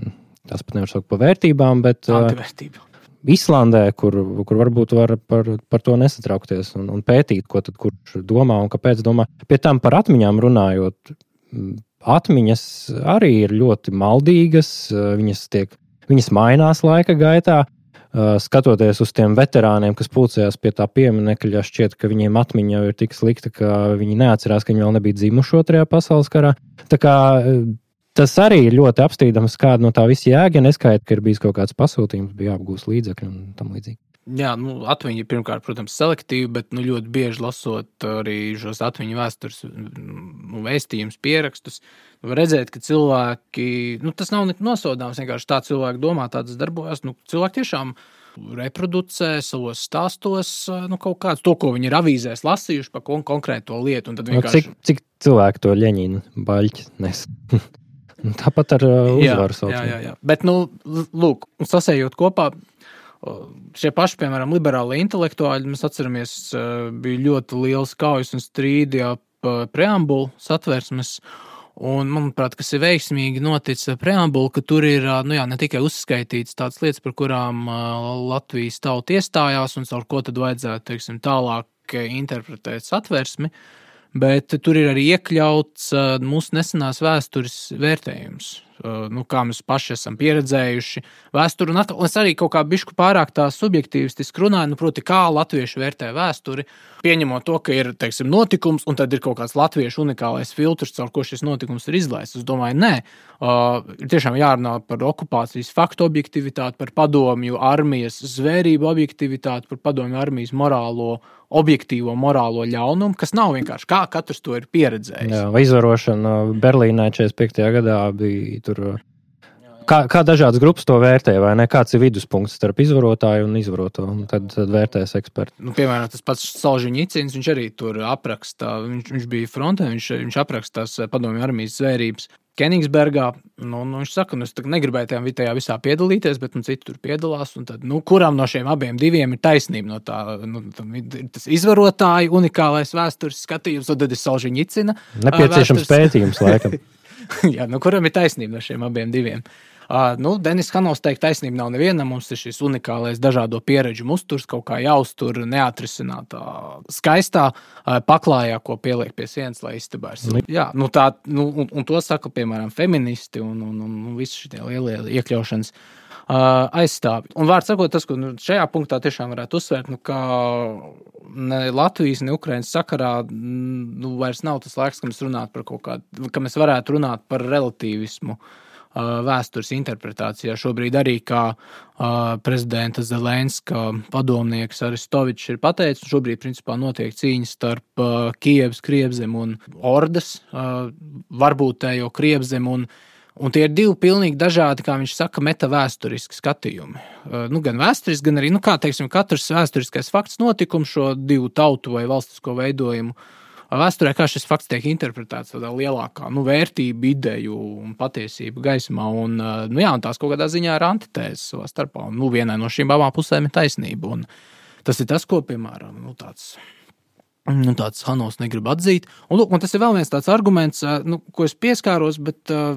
tās pat nevar saukt par vērtībām, bet antivērtībām. Islandē, kur, kur varbūt var par, par to nesatraukties un, un pētīt, ko tad kurš domā un kāpēc domā. Pie tam par atmiņām runājot, atmiņas arī ir ļoti maldīgas, viņas, tiek, viņas mainās laika gaitā. Skatoties uz tiem veterāniem, kas pulcējās pie tā pieminekļa, šķiet, ka viņiem atmiņa jau ir tik slikta, ka viņi neatcerās, ka viņi vēl nebija dzimuši otrajā pasaules karā. Tā kā tas arī ir ļoti apstrīdams, kāda no tā visa jēga, neskaita, ka ir bijis kaut kāds pasūtījums, bija jāapgūst līdzekļi un tam līdzīgi. Jā, nu, atmiņa pirmkārt, protams, selektīva, bet nu, ļoti bieži lasot arī šos atmiņu vēstures nu, vēstījumus, pierakstus, nu, var redzēt, ka cilvēki, nu, tas nav nosodāms, vienkārši tā cilvēki domā, tādas darbojas, nu, cilvēki tiešām reproducē savos stāstos nu, kaut kāds to, ko viņi ir avīzēs lasījuši par kon- konkrēto lietu. Un tad vienkārši... cik, cik cilvēki to Ļeņina baļķi nes? Tāpat ar uh, uzvaru sauc. Jā, jā, jā. Bet, nu, lūk, sasējot kopā, šie paši, piemēram, liberāli intelektuāļi, mēs atceramies, bija ļoti liels kaujas un strīdi ap preambulu satversmes, un, manuprāt, kas ir veiksmīgi noticis ar preambulu, ka tur ir, nu jā, ne tikai uzskaitīts tādas lietas, par kurām Latvijas tauta iestājās, un caur ko tad vajadzētu, teiksim, tālāk interpretēt satversmi, bet tur ir arī iekļauts mūsu nesenās vēstures vērtējums. Nu, kā mēs paši esam pieredzējuši vēsturi, un, atkal, un es arī kaut kā bišku pārāk tā subjektīvistiski runāju, nu, proti, kā latvieši vērtē vēsturi, pieņemot to, ka ir, teiksim, notikums, un tad ir kaut kāds latviešu unikālais filtrs, caur ko šis notikums ir izlaists. Es domāju, nē, uh, ir tiešām jārunā par okupācijas faktu objektivitāti, par padomju armijas zvērību objektivitāti, par padomju armijas morālo, objektīvo morālo ļaunumu, kas nav vienkārši kā katrs to ir pieredzējis. Jā, vai izvarošana Berlīnē četrdesmit piektajā gadā bija tur. Kā, kā dažādas grupas to vērtē, vai ne? Kāds ir viduspunkts starp izvarotāju un izvaroto, un tad, tad vērtēs eksperti. Nu, piemēram, tas pats Solženicins, viņš arī tur apraksta, viņš, viņš bija frontē, viņš, viņš aprakstās padomju armijas zvērības Kenigsbergā. Nu, nu, viņš saka, nu, es negribēju tajā, tajā visā piedalīties, bet nu, citi tur piedalās, un tad, nu, kuram no šiem abiem diviem ir taisnība no tā, nu, tas izvarotāju unikālais vēstures skatījums, un tad ir Solženicina. Nepieciešams vēstures... pētījums, laikam. Jā, nu, kuram ir taisnība no šiem abiem diviem? Uh, nu, Denis Hanovs teikt, taisnība nav nevienam, mums ir šis unikālais dažādo pieredžu musturs, kaut kā jāuztur neatrisinātā skaistā uh, paklājā, ko pieliek pie sienas, lai istabā ir silti. Jā, nu tā, nu, un, un to saka, piemēram, feministi un, un, un, un visi šitie lielie iekļaušanas uh, aizstāvi. Un vārds sakot, tas, ko nu, šajā punktā tiešām varētu uzsvērt, nu, ka ne Latvijas, ne Ukrainas sakarā nu, vairs nav tas laiks, ka mēs runātu par kaut kādu, ka mēs varētu runāt par relativismu vēstures interpretācijā. Šobrīd arī kā uh, prezidenta Zelenska padomnieks Aristovičs ir pateicis, un šobrīd principā notiek cīņa starp uh, Kijevas Krievzem un Ordas, uh, varbūtējo Krievzem, un, un tie ir divi pilnīgi dažādi, kā viņš saka, metavēsturiski skatījumi. Uh, nu, gan vēsturiski, gan arī, nu kā teiksim, katrs vēsturiskais fakts notikums šo divu tautu vai valstisko veidojumu vēsturē, kā šis fakts tiek interpretēts tādā lielākā nu, vērtību, ideju un patiesību gaismā. Un, nu, jā, un tās kaut kādā ziņā ir antitēzes savā starpā. Un, nu, vienai no šīm abām pusēm ir taisnība. Un tas ir tas, ko, piemēram, nu, tāds, nu, tāds Hanovs negrib atzīt. Un, lūk, un tas ir vēl viens tāds arguments, nu, ko es pieskāros, bet uh,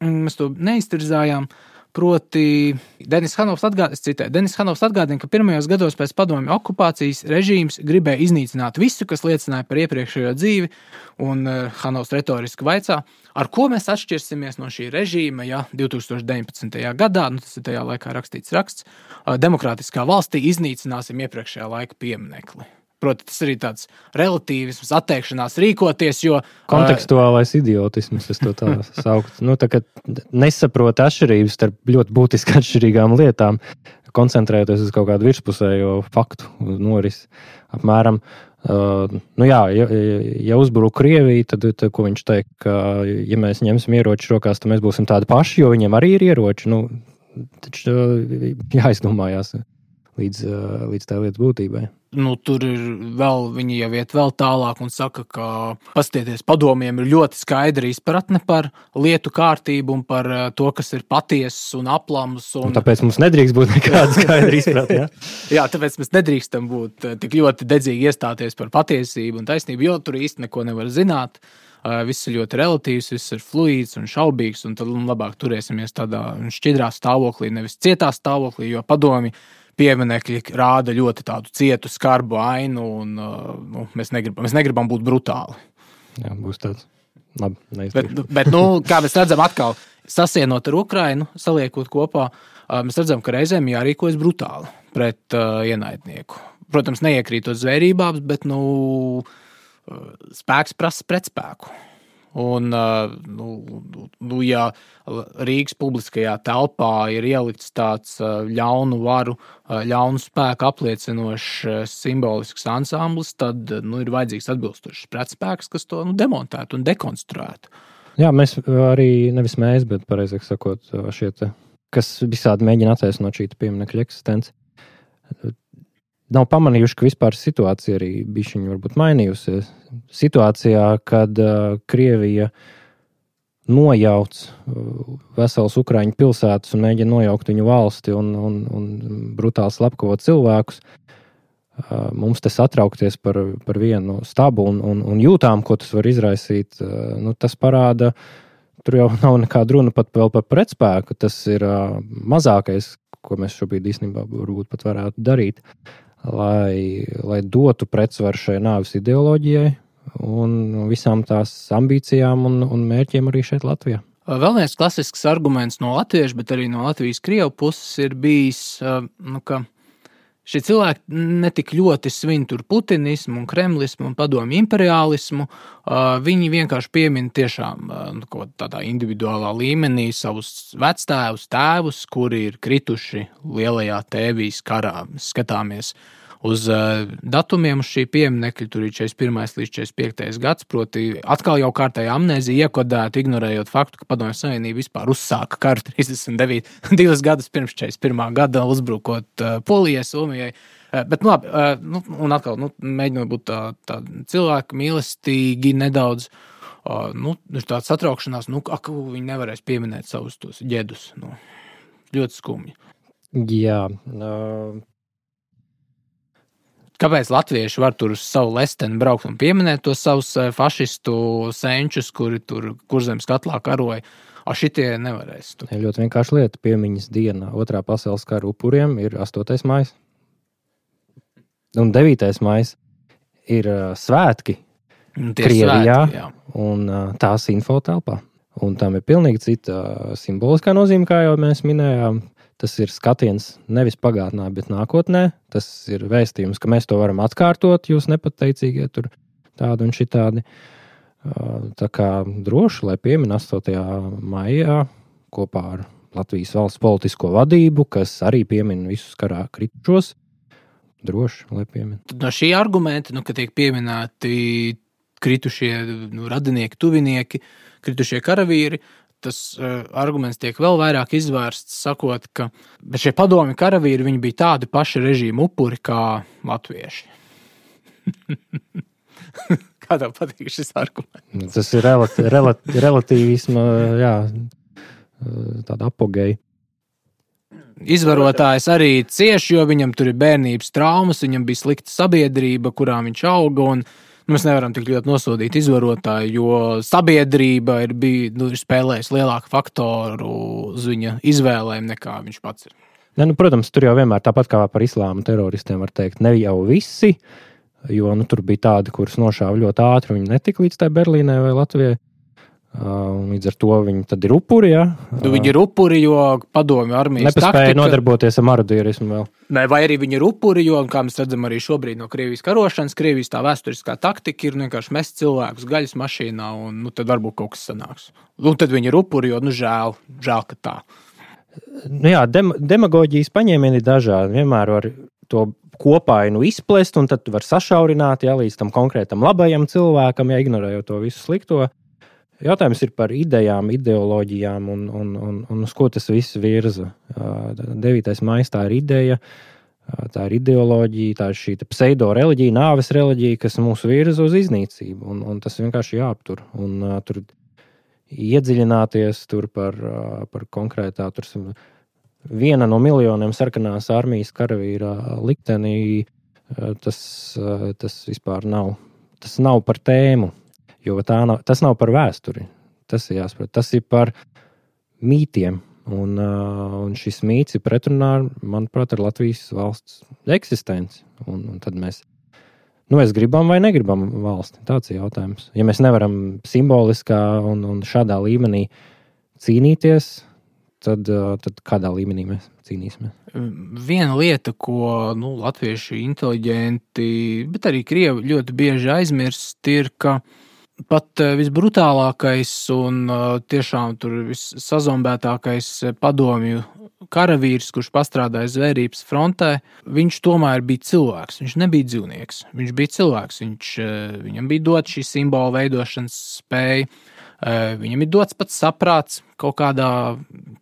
mēs to neiztirzājām. Proti, Denis Hanovs atgādina, es citēju, Denis Hanovs atgādina, ka pirmajos gados pēc padomju okupācijas režīms gribēja iznīcināt visu, kas liecināja par iepriekšējo dzīvi, un uh, Hanovs retoriski vaicā, ar ko mēs atšķirsimies no šī režīma, ja divtūkstoš deviņpadsmitajā gadā, nu tas ir tajā laikā rakstīts raksts, uh, demokrātiskā valstī iznīcināsim iepriekšējā laika pieminekli. Proti, tas arī tāds relatīvisms, atteikšanās rīkoties, jo... Kontekstuālais idiotisms, es to tā saukt. Nu, tā kā nesaprot atšķirības starp ļoti būtiski atšķirīgām lietām, koncentrējoties uz kaut kādu virspusējo faktu norisi. Apmēram, uh, nu jā, ja, ja uzbruk Krieviju, tad, tad ko viņš teikt, ka ja mēs ņemsim ieroči rokās, tad mēs būsim tādi paši, jo viņiem arī ir ieroči. Nu, taču jāizdomājās līdz, līdz tā lietas būtībai. Nu, tur ir vēl, viņi jau iet vēl tālāk un saka, ka paskatieties, padomiem ir ļoti skaidra izpratne par lietu kārtību un par to, kas ir patiesas un aplams. Un... Un tāpēc mums nedrīkst būt nekāda skaidra izpratne, ja? Jā, tāpēc mēs nedrīkstam būt tik ļoti dedzīgi iestāties par patiesību un taisnību, jo tur īsti neko nevar zināt. viss ir ļoti relatīvs, viss ir fluīds un šaubīgs, un tad labāk turēsimies tādā šķidrā stāvoklī, nevis cietā stāvoklī, jo padomi pieminekļi rāda ļoti tādu cietu, skarbu ainu, un nu, mēs, negribam, mēs negribam būt brutāli. Jā, būs tāds. Labi, bet, bet, nu, kā mēs redzam atkal, sasienot ar Ukrainu, saliekot kopā, mēs redzam, ka reizēm jārīkojas brutāli pret uh, ienaidnieku. Protams, neiekrītot zvērībās, bet nu, spēks prasa pretspēku. Un, uh, nu, nu, ja Rīgas publiskajā telpā ir ielikts tāds uh, ļaunu varu, uh, ļaunu spēku apliecinošs uh, simbolisks ansamblis, tad nu, ir vajadzīgs atbilstošs pretspēks, kas to nu, demontētu un dekonstruētu. Jā, mēs arī, nevis mēs, bet pareizāk sakot, šie te, kas visādi mēģina attaisnot šī pieminekļa eksistenci, nav pamanījuši, ka vispār situācija arī bišķiņi varbūt mainījusies. Situācijā, kad uh, Krievija nojauc uh, veselas Ukraiņu pilsētas un mēģina nojaukt viņu valsti un, un, un brutāli slepkavot cilvēkus, uh, mums te satraukties par, par vienu stabu un, un, un jūtām, ko tas var izraisīt, uh, nu, tas parāda, tur jau nav nekāda runa pat vēl par pretspēku, tas ir uh, mazākais, ko mēs šobrīd īstenībā varbūt pat varētu darīt. Lai, lai dotu pretsvaru šai nāves ideoloģijai un visām tās ambīcijām un, un mērķiem arī šeit Latvijā. Vēl viens klasisks arguments no latviešu, bet arī no Latvijas krievu puses ir bijis, nu, ka šie cilvēki netik ļoti svin tur putinismu un kremlismu un padomju imperiālismu, viņi vienkārši piemin tiešām nu, tādā individuālā līmenī savus vectēvus, tēvus, kuri ir krituši lielajā tēvijas karā. Skatāmies uz datumiem uz šī pieminekļa, tur ir četrdesmit pirmais līdz četrdesmit piektais gads, proti atkal jau kārtēja amnēzija iekodēta, ignorējot faktu, ka Padomju Savienība vispār uzsāka karu trīsdesmit divus gadus pirms četrdesmit pirmā gada, uzbrukot Polijai, Somijai. Bet, nu, labi, nu, un atkal, nu, mēģinot būt tā, tā cilvēki mīlestīgi nedaudz, nu, tāds satraukšanās, nu, ak, viņi nevarēs pieminēt savus tos ģedus, nu, ļoti skumji. Jā, uh... Kāpēc latvieši var tur uz savu lesteni braukt un pieminēt tos savus fašistu senčus, kuri tur Kurzemes katlā karoja, a šitie nevarēs? Tur. Ļoti vienkārši lieta, piemiņas diena otrā pasaules kara upuriem ir astotais maijs. Un devītais maijs ir uh, svētki Krievijā svētki, un uh, tās infotelpā. Un tam ir pilnīgi cita uh, simboliskā nozīme, kā jau mēs minējām. Tas ir skatiens nevis pagātnē, bet nākotnē. Tas ir vēstījums, ka mēs to varam atkārtot, jūs nepateicīgie tur tādi un šitādi. Tā kā droši, lai piemin astotajā maijā kopā ar Latvijas valsts politisko vadību, kas arī piemin visus karā kritušos. Droši, lai piemin. No šī argumenta, nu, ka tiek pieminēti kritušie nu, radinieki, tuvinieki, kritušie karavīri, tas uh, arguments tiek vēl vairāk izvērsts, sakot, ka šie padomju karavīri, viņi bija tādi paši režīmu upuri kā latvieši. Kā tev patīk šis arguments? Tas ir relati, relati, relatīvisma, jā, tāda apogeja. Izvarotājs arī cieši, jo viņam tur ir bērnības traumas, viņam bija slikta sabiedrība, kurā viņš auga, un mēs nevaram tik ļoti nosodīt izvarotāju, jo sabiedrība ir, bija, nu, ir spēlējusi lielāku faktoru uz viņa izvēlēm nekā viņš pats ir. Ne, nu, protams, tur jau vienmēr tāpat kā par islāma teroristiem var teikt, ne jau visi, jo nu, tur bija tādi, kurus nošāva ļoti ātri, viņi netika līdz tai Berlīnai vai Latvijai. Uh, līdz ar to viņi tad ir upuri, ja? Uh, viņi ir upuri, jo padomju armijas taktika... Nepaspēja nodarboties ar marodierismu vēl. Ne, vai arī viņi ir upuri, jo, kā mēs redzam arī šobrīd no Krievijas karošanas, Krievijas tā vēsturiskā taktika ir vienkārši mest cilvēkus gaļas mašīnā, un nu, tad varbūt kaut kas sanāks. Un tad viņi ir upuri, jo, nu, žēl, žēl, ka tā. Nu jā, dem, demagoģijas paņēmieni ir dažādi. Vienmēr var to kopainu izplest, un tad var sašaurināt, ja, līdz tam konkrētam labajam cilvēkam, ja ignorējot to visu slikto. Jautājums ir par idejām, ideoloģijām un, un, un, un uz ko tas viss virza. devītais maijs tā ir ideja, tā ir ideoloģija, tā ir šī pseido-reliģija, nāves reliģija, kas mūs virza uz iznīcību. Un, un tas vienkārši jāaptur. Un uh, tur iedziļināties tur par, uh, par konkrētā, tur viena no miljoniem sarkanās armijas karavīra liktenī, uh, tas, uh, tas vispār nav. Tas nav par tēmu. Jo tā nav, tas nav par vēsturi. Tas ir jāsaprot. Tas ir par mītiem. Un, un šis mīts ir pretrunā, manuprāt, ar Latvijas valsts eksistenci. Un, un tad mēs, nu, mēs gribam vai negribam valsti. Tāds ir jautājums. Ja mēs nevaram simboliskā un, un šādā līmenī cīnīties, tad, tad kādā līmenī mēs cīnīsimies? Viena lieta, ko nu, latvieši inteliģenti, bet arī krievi ļoti bieži aizmirst, ir, ka pat visbrutālākais un tiešām tur vissazombētākais padomju karavīrs, kurš pastrādāja zvērības frontē, viņš tomēr bija cilvēks. Viņš nebija dzīvnieks. Viņš bija cilvēks. Viņš, viņam bija dot šī simbola veidošanas spēja. Viņam ir dots pats saprāts kaut kādā,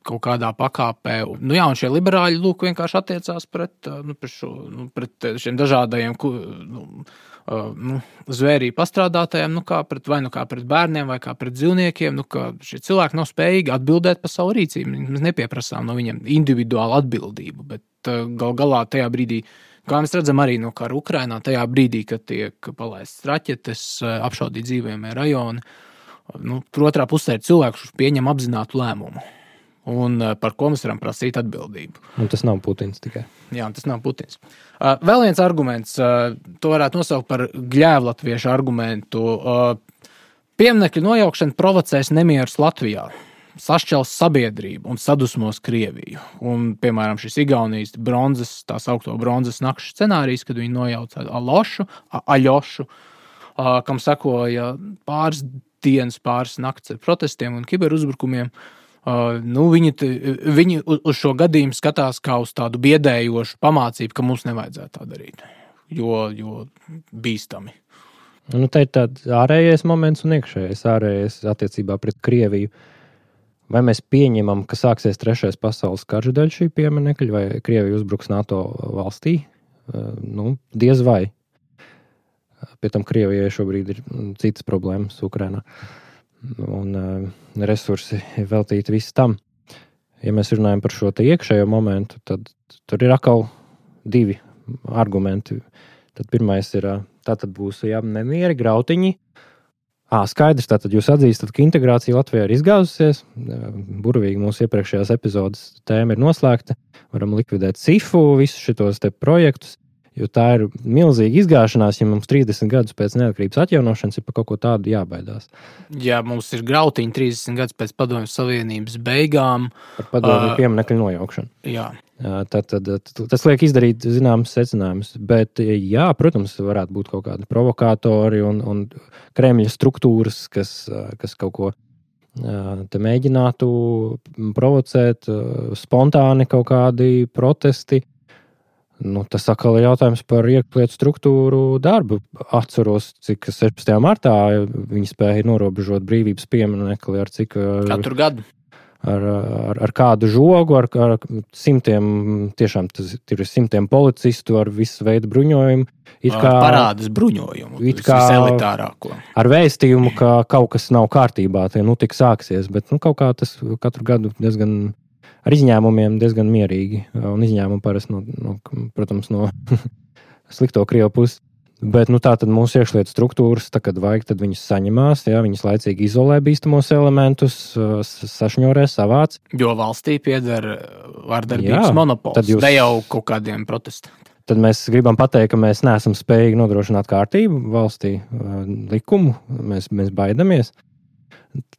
kaut kādā pakāpē. Nu jā, un šie liberāļi lūk vienkārši attiecās pret, nu, pret, šo, nu, pret šiem dažādajiem nu, nu, zvērību pastrādātājiem, nu kā pret, vai nu kā pret bērniem, vai kā pret dzīvniekiem, nu kā šie cilvēki nav spējīgi atbildēt par savu rīcību. Mēs nepieprasām no viņiem individuālu atbildību, bet gal galā tajā brīdī, kā mēs redzam arī no kara Ukrainā, tajā brīdī, kad tiek palaistas raķetes, apšaudīt dzīvojamie rajoni, nu, tur otrā pusē ir cilvēks, kurš pieņem apzinātu lēmumu. Un par ko mēs varam prasīt atbildību. Un tas nav Putins tikai. Jā, tas nav Putins. Vēl viens arguments, to varētu nosaukt par gļēvlatviešu argumentu. Pieminekļu nojaukšana provocēs nemierus Latvijā, sašķels sabiedrību un sadusmos Krieviju. Un, piemēram, šis Igaunijas bronzas, tā saukto bronzas nakšu scenārijs, kad viņi nojauca Alošu, Aļošu, kam sekoja pāris dienas, pāris nakts ar protestiem un kiberuzbrukumiem. Uh, nu, viņi, viņi uz šo gadījumu skatās kā uz tādu biedējošu pamācību, ka mums nevajadzētu tā darīt, jo, jo bīstami. Nu, te ir tāds ārējais moments un iekšējais ārējais attiecībā pret Krieviju. Vai mēs pieņemam, ka sāksies trešais pasaules karš dēļ šī pieminekļa, vai Krievija uzbruks NATO valstī? Uh, nu, diez vai. Pie tam Krievijai šobrīd ir citas problēmas Ukrainā. Un uh, resursi veltīti visu tam. Ja mēs runājam par šo te iekšējo momentu, tad tur ir atkal divi argumenti. Tad pirmais ir, tātad būs jā, nemieri, grautiņi. Ā, skaidrs, tātad jūs atzīstat, ka integrācija Latvijā ir izgāzusies. Burvīgi mūsu iepriekšējās epizodes tēma ir noslēgta. Varam likvidēt cifu, visus šitos te projektus. Jo tā ir milzīga izgāšanās, ja mums trīsdesmit gadus pēc neatkarības atjaunošanas ir par kaut ko tādu jābaidās. Jā, mums ir grautiņi trīsdesmit gadus pēc Padomju Savienības beigām. Par padomju uh, pieminekļu nojaukšanu. Jā. Tad, tad, tas liek izdarīt zināmas secinājumus. Bet, jā, protams, varētu būt kaut kādi provokātori un, un Kremļa struktūras, kas, kas kaut ko te mēģinātu provocēt, spontāni kaut kādi protesti. Nu, tas atkal ir jautājums par iekšlietu struktūru darbu. Atceros, cik sešpadsmitajā martā viņi spēja norobežot brīvības pieminekli ar cik... Katru gadu. Ar, ar, ar kādu žogu, ar, ar simtiem, tiešām tas ir simtiem policistu ar visu veidu bruņojumu. It kā, parādas bruņojumu, it kā viselitārāko. Ar vēstījumu, ka kaut kas nav kārtībā, tie nu tik sāksies, bet nu, kaut kā tas katru gadu diezgan... Ar izņēmumiem diezgan mierīgi, un izņēmumi parasti, no, no, protams, no slikto Krievu puses. Bet nu, tā tad mūsu iekšlietu struktūras, tā, kad vajag, tad viņas saņemās, jā, viņas laicīgi izolē bīstamos elementus, sašņorē, savāc. Jo valstī pieder vardarbības monopols, jūs... ne jau kaut kādiem protestiem. Tad mēs gribam pateikt, ka mēs neesam spējīgi nodrošināt kārtību valstī, likumu, mēs, mēs baidamies.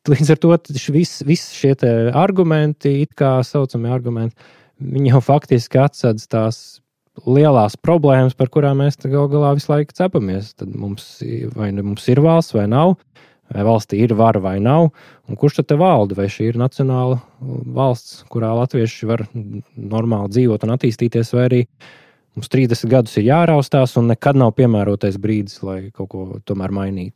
Līdz ar to visi vis šie te argumenti, it kā saucamie argumenti, viņi jau faktiski atsedz tās lielās problēmas, par kurām mēs gal galā visu laiku cepamies. Tad mums, vai mums ir valsts vai nav, vai valstī ir vara vai nav, un kurš tad te valda, vai šī ir nacionāla valsts, kurā latvieši var normāli dzīvot un attīstīties, vai arī mums trīsdesmit gadus ir jāraustās un nekad nav piemērotais brīdis, lai kaut ko tomēr mainītu.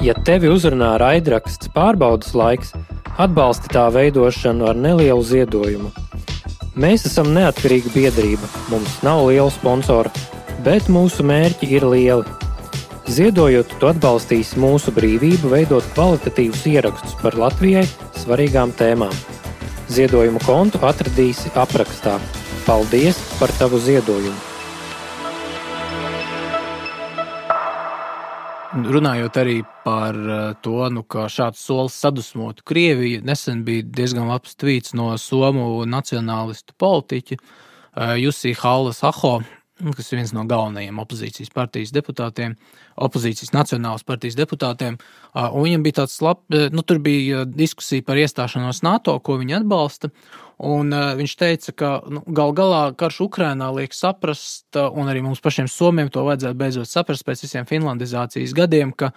Ja tevi uzrunā raidraksts Pārbaudas laiks, atbalsti tā veidošanu ar nelielu ziedojumu. Mēs esam neatkarīga biedrība, mums nav liela sponsora, bet mūsu mērķi ir lieli. Ziedojot, tu atbalstīsi mūsu brīvību veidot kvalitatīvus ierakstus par Latvijai svarīgām tēmām. Ziedojumu kontu atradīsi aprakstā. Paldies par tavu ziedojumu! Runājot arī par to, nu, ka šāds solis sadusmotu Krieviju, nesen bija diezgan labs tvīts no somu nacionālistu politiķa Jussi Halla-aho, kas ir viens no galvenajiem opozīcijas partijas deputātiem, opozīcijas nacionālas partijas deputātiem, un viņam bija tāds lab, nu, tur bija diskusija par iestāšanos NATO, ko viņi atbalsta, un viņš teica, ka nu, gal galā karš Ukrainā liek saprast, un arī mums pašiem somiem to vajadzētu beidzot saprast pēc visiem finlandizācijas gadiem, ka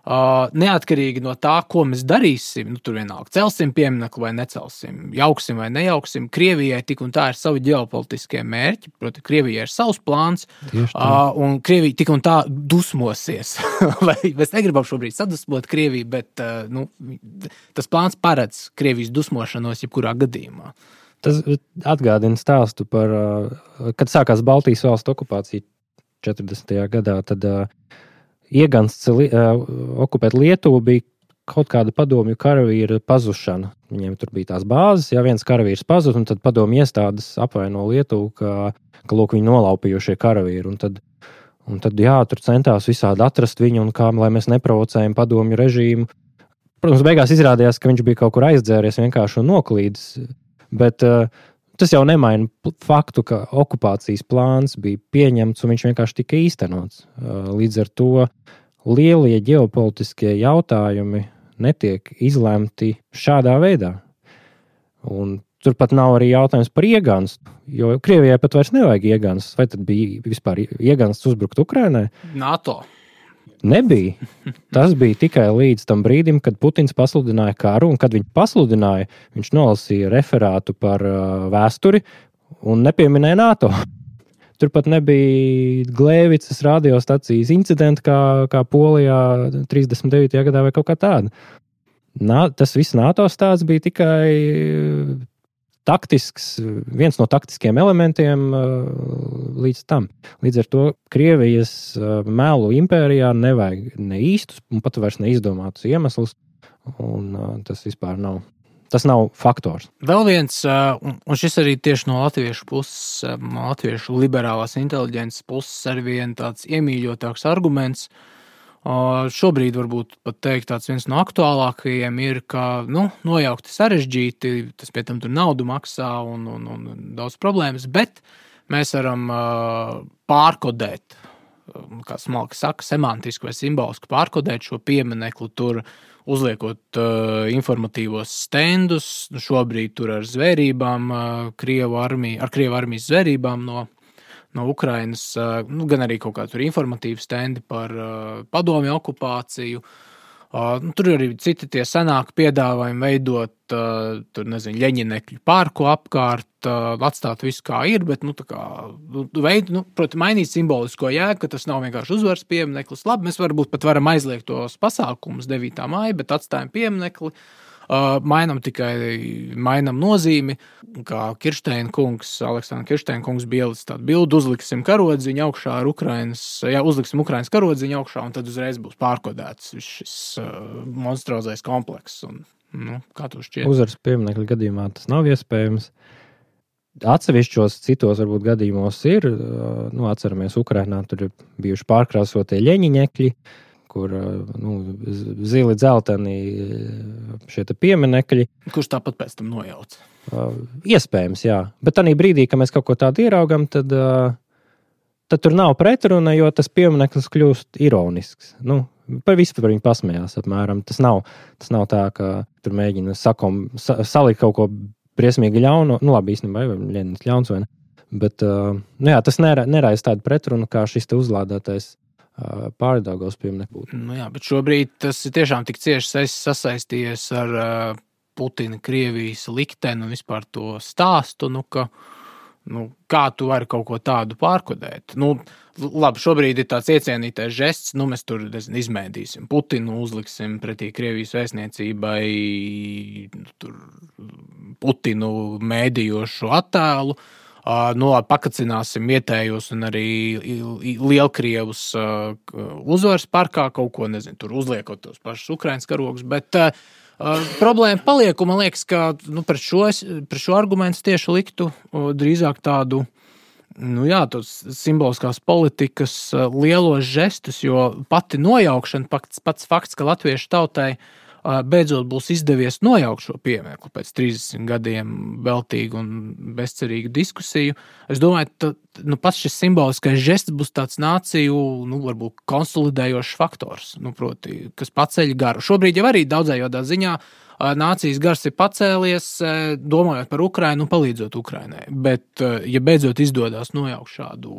Uh, neatkarīgi no tā, ko mēs darīsim, nu, tur vienalga celsim pieminekli vai necelsim, jauksim vai nejauksim, Krievijai tik un tā ir savi ģeopolitiskie mērķi, proti, Krievijai ir savs plāns, uh, un Krievija tik un tā dusmosies. Mēs negribam šobrīd sadusmot Krieviju, bet uh, nu, tas plāns paredz Krievijas dusmošanos jebkurā gadījumā. Tas atgādina stāstu par, uh, kad sākās Baltijas valstu okupācija četrdesmitajā gadā, tad uh, iegansts li, uh, okupēt Lietuvu bija kaut kāda padomju karavīra pazušana. Viņiem tur bija tās bāzes, ja viens karavīrs pazud, un tad padomju iestādes apvaino Lietuvu, ka, ka lūk, viņi nolaupījušie karavīri. Un tad, un tad, jā, tur centās visādi atrast viņu, un kā, lai mēs neprovocējam padomju režīmu. Protams, beigās izrādījās, ka viņš bija kaut kur aizdzēries vienkārši un noklīdis, bet uh, tas jau nemaina faktu, ka okupācijas plāns bija pieņemts un viņš vienkārši tika īstenots. Līdz ar to lielie ģeopolitiskie jautājumi netiek izlemti šādā veidā. Un turpat nav arī jautājums par ieganstu, jo Krievijai pat vairs nevajag iegansts. Vai tad bija vispār iegansts uzbrukt Ukrainai? NATO. Nebija. Tas bija tikai līdz tam brīdim, kad Putins pasludināja karu, un kad viņš pasludināja, viņš nolasīja referātu par uh, vēsturi un nepieminēja NATO. Turpat nebija Glēvicas radiostacijas incidenti, kā, kā Polijā trīsdesmit devītajā gadā vai kaut kā tāda. Nā, tas viss NATO stāsts bija tikai taktisks, viens no taktiskiem elementiem līdz tam. Līdz ar to Krievijas melu impērijā nevajag ne īstus un pat vairs neizdomātus iemeslus, un tas vispār nav. Tas nav faktors. Vēl viens, un šis arī tieši no latviešu puses, no latviešu liberālās inteliģences puses arī vien tāds iemīļotāks arguments. Šobrīd varbūt pat teikt tāds viens no aktuālākajiem ir, ka nu, nojaukti sarežģīti, tas pie tam tur naudu maksā un, un, un daudz problēmas, bet mēs varam uh, pārkodēt, kā smalki saka, semantiski vai simboliski pārkodēt šo pieminekli tur, uzliekot uh, informatīvos stendus, šobrīd tur ar zvērībām, uh, Krievu armija, ar Krievu armijas zvērībām no no Ukrainas, nu, gan arī kaut kā tur informatīvi stendi par uh, padomju okupāciju. Uh, nu, tur arī citi tie senāki piedāvājumi veidot, uh, tur, nezinu, Ļeņinekļu parku apkārt, uh, atstāt visu kā ir, bet, nu, tā kā, nu, veid, nu, proti, mainīt simbolisko jēgu, ka tas nav vienkārši uzvaras piemineklis. Labi, mēs varbūt pat varam aizliegt tos pasākumus devītā māja, bet atstājam pieminekli. Uh, mainam tikai mainam nozīmi, kā Kirsteina kungs, Aleksandra Kirsteina kungs bija ielicis tādu bildu, uzliksim karodziņu augšā ar Ukrainas, jā, uzliksim Ukrainas karodziņu augšā, un tad uzreiz būs pārkodēts šis uh, monstrozais komplekss. Un, nu, kā tu šķiet? Uzvaras pieminekļa gadījumā tas nav iespējams. Atsevišķos citos varbūt gadījumos ir, uh, nu, atceramies, Ukrainā tur ir bijuši pārkrāsotie ļeņiņekļi, kur nu, zili dzelteni šie pieminekļi. Kurš tāpat pēc tam nojauc? Uh, iespējams, jā. Bet tādā brīdī, kad mēs kaut ko tādu ieraugam, tad, uh, tad tur nav pretruna, jo tas piemineklis kļūst ironisks. Nu, par visu par viņu pasmējās apmēram. Tas nav, tas nav tā, ka tur mēģina sakom, sa, salikt kaut ko briesmīgi ļaunu. Nu, labi, īstenībā, vai Ļeņins ļauns vai ne. Bet, uh, nu jā, tas neraisa tādu pretrunu, kā šis te uzlādētais Pārdaugavas piemineklis. Nu jā, bet šobrīd tas ir tiešām tik cieši sasaistījies ar uh, Putina Krievijas likteni un vispār to stāstu, nu, ka, nu, kā tu vari kaut ko tādu pārkodēt. Nu, labi, šobrīd ir tāds iecienītais žests, nu, mēs tur, nezinu, izmēdīsim Putinu, uzliksim pretī Krievijas vēstniecībai tur Putinu mēdījošu attēlu. Uh, no, pakacināsim vietējos un arī lielkrievus uh, uzvaras parkā kaut ko, nezinu, tur uzliekot tos pašus Ukrainas karogus, bet uh, uh, problēma paliek, un man liekas, ka nu, pret, šo, pret šo argumentu tieši liktu uh, drīzāk tādu Nu jā, tos simboliskās politikas lielos žestus, jo pati nojaukšana, pats, pats fakts, ka latviešu tautai beidzot būs izdevies nojaukt šo pieminekli pēc trīsdesmit gadiem veltīgu un bezcerīgu diskusiju. Es domāju, ka nu, pats šis simboliskais žests būs tāds nāciju, nu, varbūt konsolidējošs faktors, nu, proti, kas paceļ garu. Šobrīd jau arī daudzējādā ziņā nācijas gars ir pacēlies, domājot par Ukrainu un palīdzot Ukrainai. Bet, ja beidzot izdodas nojaukt šādu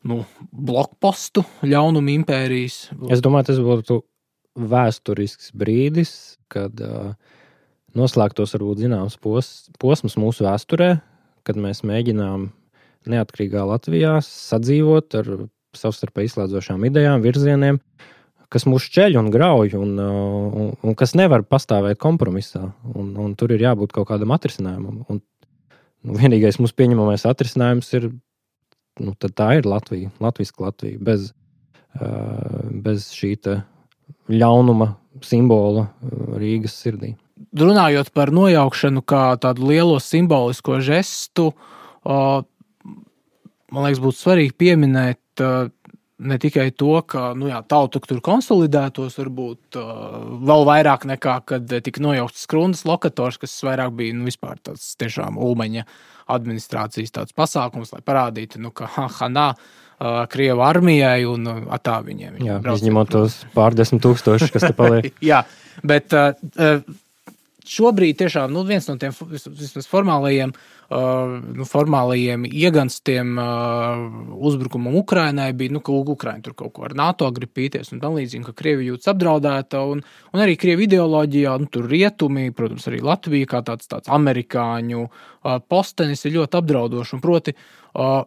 nu, blokpostu ļaunumu impērijas. Es domāju, tas būtu vēsturisks brīdis, kad uh, noslēgtos varbūt zināms pos, posms mūsu vēsturē, kad mēs mēģinām neatkarīgā Latvijā sadzīvot ar savstarpēji izslēdzošām idejām, virzieniem, kas mūs šķeļ un grauj un, un, un kas nevar pastāvēt kompromisā. Un, un tur ir jābūt kaut kādam atrisinājumam. Un, nu, vienīgais mūsu pieņemamais atrisinājums ir, nu, tad tā ir Latvija, latviska Latvija, bez, uh, bez šī te ļaunuma simbola Rīgas sirdī. Runājot par nojaukšanu kā tādu lielo simbolisko žestu, uh, man liekas, būtu svarīgi pieminēt uh, ne tikai to, ka nu jā, tauta tur konsolidētos, varbūt uh, vēl vairāk nekā, kad tika nojaukts Skrundas lokators, kas vairāk bija nu, vispār tāds tiešām Ulmaņa administrācijas tāds pasākums, lai parādītu, nu, ka ha, ha, nā, uh, Krievu armijai un atā viņiem. Jā, izņemot tos pārdesmit tūkstoši, kas te paliek. Jā, bet uh, šobrīd tiešām nu, viens no tiem vismaz formālajiem Uh, nu, formālajiem ieganstiem uh, uzbrukumam Ukrainai bija, nu, ka Ukraina tur kaut ko ar NATO grib pīties un tam līdzīgi, ka Krievi jūtas apdraudēta un, un arī Krievi ideoloģijā, nu, tur rietumi, protams, arī Latvija kā tāds, tāds amerikāņu uh, postenis ir ļoti apdraudoši un proti uh,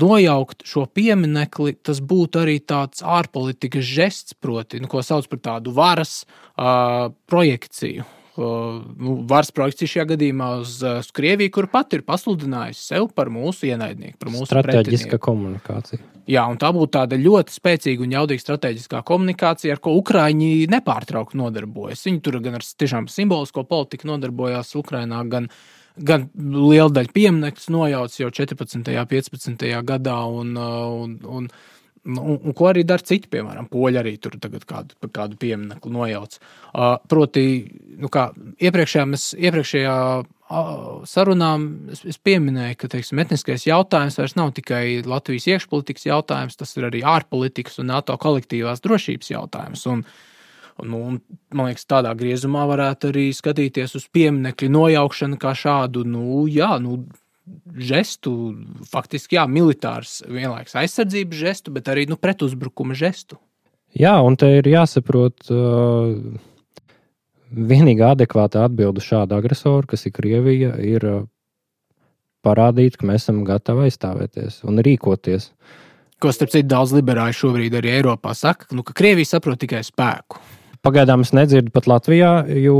nojaukt šo pieminekli, tas būtu arī tāds ārpolitikas žests, proti, nu, ko sauc par tādu varas uh, projekciju. Uh, nu, varas projekcija šajā gadījumā uz, uz Krieviju, kur pat ir pasludinājusi sev par mūsu ienaidnieku, par mūsu strateģiska komunikācija. Jā, un tā būtu tāda ļoti spēcīga un jaudīga strateģiskā komunikācija, ar ko Ukraiņi nepārtraukti nodarbojas. Viņi tur gan ar tiešām simbolisko politiku nodarbojās Ukrainā, gan, gan liela daļa pieminekļus nojauc jau četrpadsmitajā, piecpadsmitajā gadā un, un, un Un, un ko arī dara citi, piemēram, poļi arī tur tagad kādu, kādu pieminekli nojauc. Uh, proti, nu kā iepriekšējā, mēs, iepriekšējā uh, sarunā es, es pieminēju, ka, teiksim, etniskais jautājums vairs nav tikai Latvijas iekšpolitikas jautājums, tas ir arī ārpolitikas un NATO kolektīvās drošības jautājums. Un, un, un, man liekas, tādā griezumā varētu arī skatīties uz pieminekļu nojaukšanu kā šādu, nu, jā, nu, žestu, faktiski, jā, militārs vienlaiks aizsardzības žestu, bet arī, nu, pretuzbrukuma žestu. Jā, un te ir jāsaprot uh, vienīgā adekvāta atbilde šāda agresora, kas ir Krievija, ir uh, parādīt, ka mēs esam gatavi aizstāvēties un rīkoties. Ko, starp citu, daudz liberāļu šobrīd arī Eiropā saka, nu, ka Krievija saprot tikai spēku. Pagaidām es nedzirdu pat Latvijā, jo...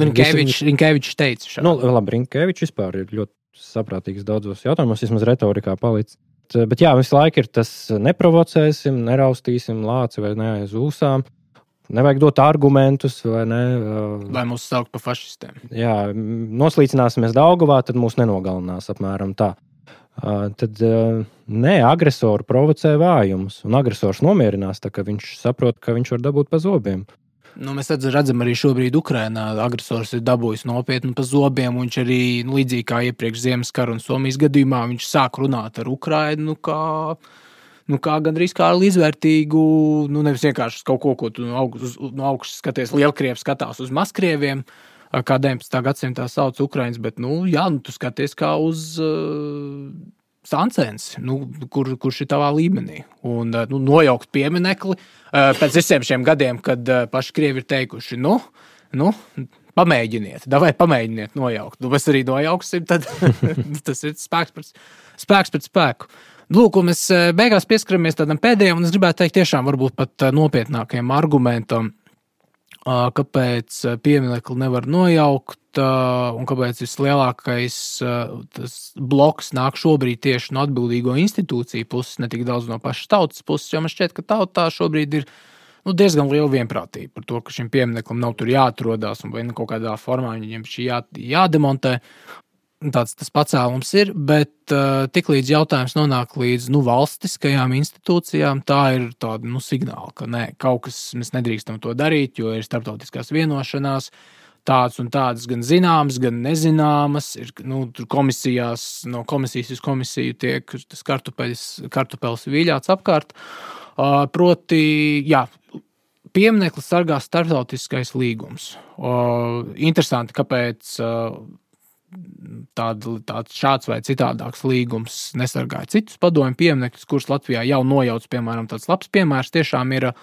Rinkevičs visi... teica šādi. Nu, labi, Rinkevičs vispār ir ļoti saprātīgs daudzos jautājumos, vismaz retorikā palicis. Bet jā, visu laiku ir tas neprovocēsim, neraustīsim lāci vai ne aiz ūsām. Nevajag dot argumentus, vai ne? Vai mūs saukt pa fašistiem. Jā, noslīcināsimies Daugavā, tad mūs nenogalinās apmēram tā. Uh, tad uh, nē, agresoru provocē vājumus, un agresors nomierinās, tā ka viņš saprot, ka viņš var dabūt pa zobiem. Nu, mēs redzam arī šobrīd Ukrainā, agresors ir dabūjis nopietni pa zobiem, un viņš arī, nu, līdzīgi kā iepriekš Ziemaskara un Somijas gadījumā, viņš sāk runāt ar Ukrainu, nu, kā, nu, kā gandrīz kā līdzvērtīgu, nu, nevis vienkārši kaut ko, ko tu no augšas, no augšas skaties, Lielkrievi skatās uz Mazkrieviem, kā deviņpadsmitā gadsimtā sauc Ukrainas, bet, nu, jā, nu, tu skaties kā uz uh, sancens, nu, kur, kurš ir tavā līmenī. Un, uh, nu, nojaukt pieminekli uh, pēc visiem šiem gadiem, kad uh, paši Krievi ir teikuši, nu, nu, pamēģiniet, davai pamēģiniet nojaukt. Nu, mēs arī nojauksim, tad tas ir spēks pret, spēks pret spēku. Lūk, un mēs beigās pieskaramies tādam pēdējam, un es gribētu teikt tiešām varbūt pat nopietnākajam argumentam, kāpēc pieminekli nevar nojaukt un kāpēc vislielākais tas bloks nāk šobrīd tieši no atbildīgo institūciju puses, ne tik daudz no pašas tautas puses, jo man šķiet, ka tautā šobrīd ir nu, diezgan liela vienprātība par to, ka šim piemineklim nav tur jāatrodās un vai kaut kādā formā viņiem šī jā, jādemontē. tāds tas pacēlums ir, bet uh, tiklīdz jautājums nonāk līdz nu, valstiskajām institūcijām, tā ir tāda nu, signāla, ka nē, kaut kas mēs nedrīkstam to darīt, jo ir starptautiskās vienošanās, tāds un tādas gan zināmas, gan nezināmas. Ir, nu, tur komisijās, no komisijas uz komisiju tiek tas kartupeļs, kartupeļs viļāts apkārt. Uh, proti, jā, pieminekli sargā starptautiskais līgums. Uh, interesanti, kāpēc uh, Tāda, tāds šāds vai citādāks līgums nesargāja citus padomju pieminekļus, kurus Latvijā jau nojauc, piemēram, tāds labs piemērs tiešām ir uh,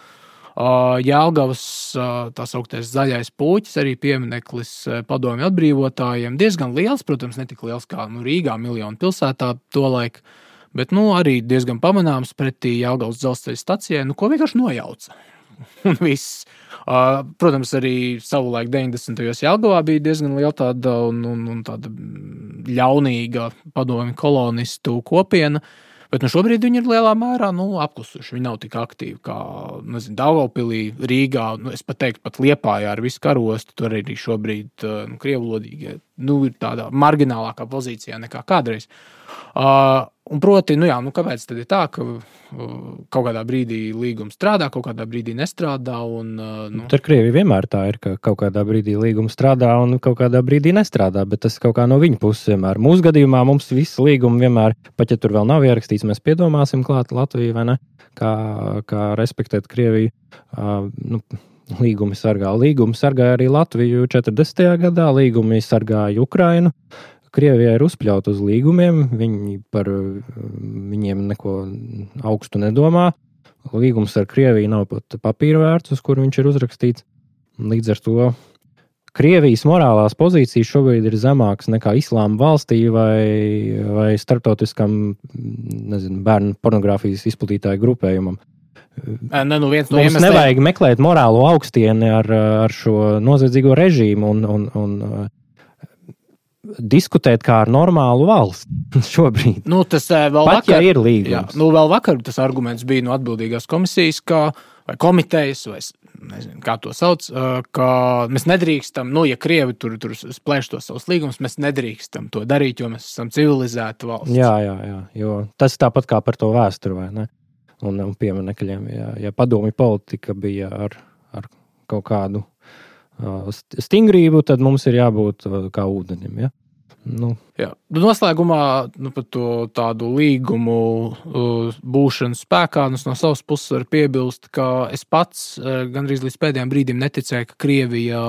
Jelgavas uh, tā sauktais zaļais puķis, arī piemineklis padomju atbrīvotājiem. Diezgan liels, protams, ne tik liels kā nu, Rīgā, miljonu pilsētā tolaik, bet nu, arī diezgan pamanāms pretī Jelgavas dzelzceļa stacijai, nu, ko vienkārši nojauca. Un viss. Uh, protams, arī savulaik deviņdesmitajos Jelgavā bija diezgan liela tāda, un, un, un tāda ļaunīga padomju kolonistu kopiena, bet nu, šobrīd viņi ir lielā mērā nu, apklusuši. Viņi nav tik aktīvi kā nezinu, Daugavpilī, Rīgā, nu, es pat teiktu, pat Liepājā ar visu karostu, tur arī šobrīd nu, krievlodīgie nu, ir tādā marginālākā pozīcijā nekā kādreiz. Uh, un proti, nu jā, nu kāpēc tad ir tā, ka uh, kaut kādā brīdī līgums strādā, kaut kādā brīdī nestrādā un... Uh, nu... Tur Krievija vienmēr tā ir, ka kaut kādā brīdī līgums strādā un kaut kādā brīdī nestrādā, bet tas kaut kā no viņa puses vienmēr. Mūsu gadījumā mums visi līgumi vienmēr, pat ja tur vēl nav ierakstīts, mēs piedomāsim klāt Latviju, vai ne, kā, kā respektēt Krieviju. Uh, nu, līgumi sargā. Līgumi sargāja arī Latviju četrdesmitajā gadā, līgumi sargāja Ukrainu. Krievijā ir uzpļaut uz līgumiem, viņi par viņiem neko augstu nedomā. Līgums ar Krieviju nav pat papīra vērts, uz kur viņš ir uzrakstīts. Līdz ar to Krievijas morālās pozīcijas šobrīd ir zemākas nekā Islāma valstī vai, vai starptautiskam nezinu, bērnu pornogrāfijas izplatītāju grupējumam. Ne, nu viens no Mums iemesliem... nevajag meklēt morālo augstieni ar, ar šo noziedzīgo režīmu un, un, un diskutēt kā ar normālu valsti šobrīd. Nu, tas vēl Pat, vakar, ja ir līgums. Jā, nu, vēl vakar tas arguments bija no atbildīgās komisijas, ka, vai komitejas, vai nezinu, kā to sauc, ka mēs nedrīkstam, nu, ja Krievi tur, tur splēš tos savus līgumus, mēs nedrīkstam to darīt, jo mēs esam civilizēta valsts. Jā, jā, jā, jo tas tāpat kā par to vēsturi, vai ne? Un, un pieminekļiem, ja, ja padomju politika bija ar, ar kaut kādu stingrību, tad mums ir jābūt kā ūdenim, ja? Nu. Jā. Noslēgumā nu, par to tādu līgumu uh, būšanu spēkā no savas puses var piebilst, ka es pats uh, gandrīz līdz pēdējiem brīdim neticēju, ka Krievija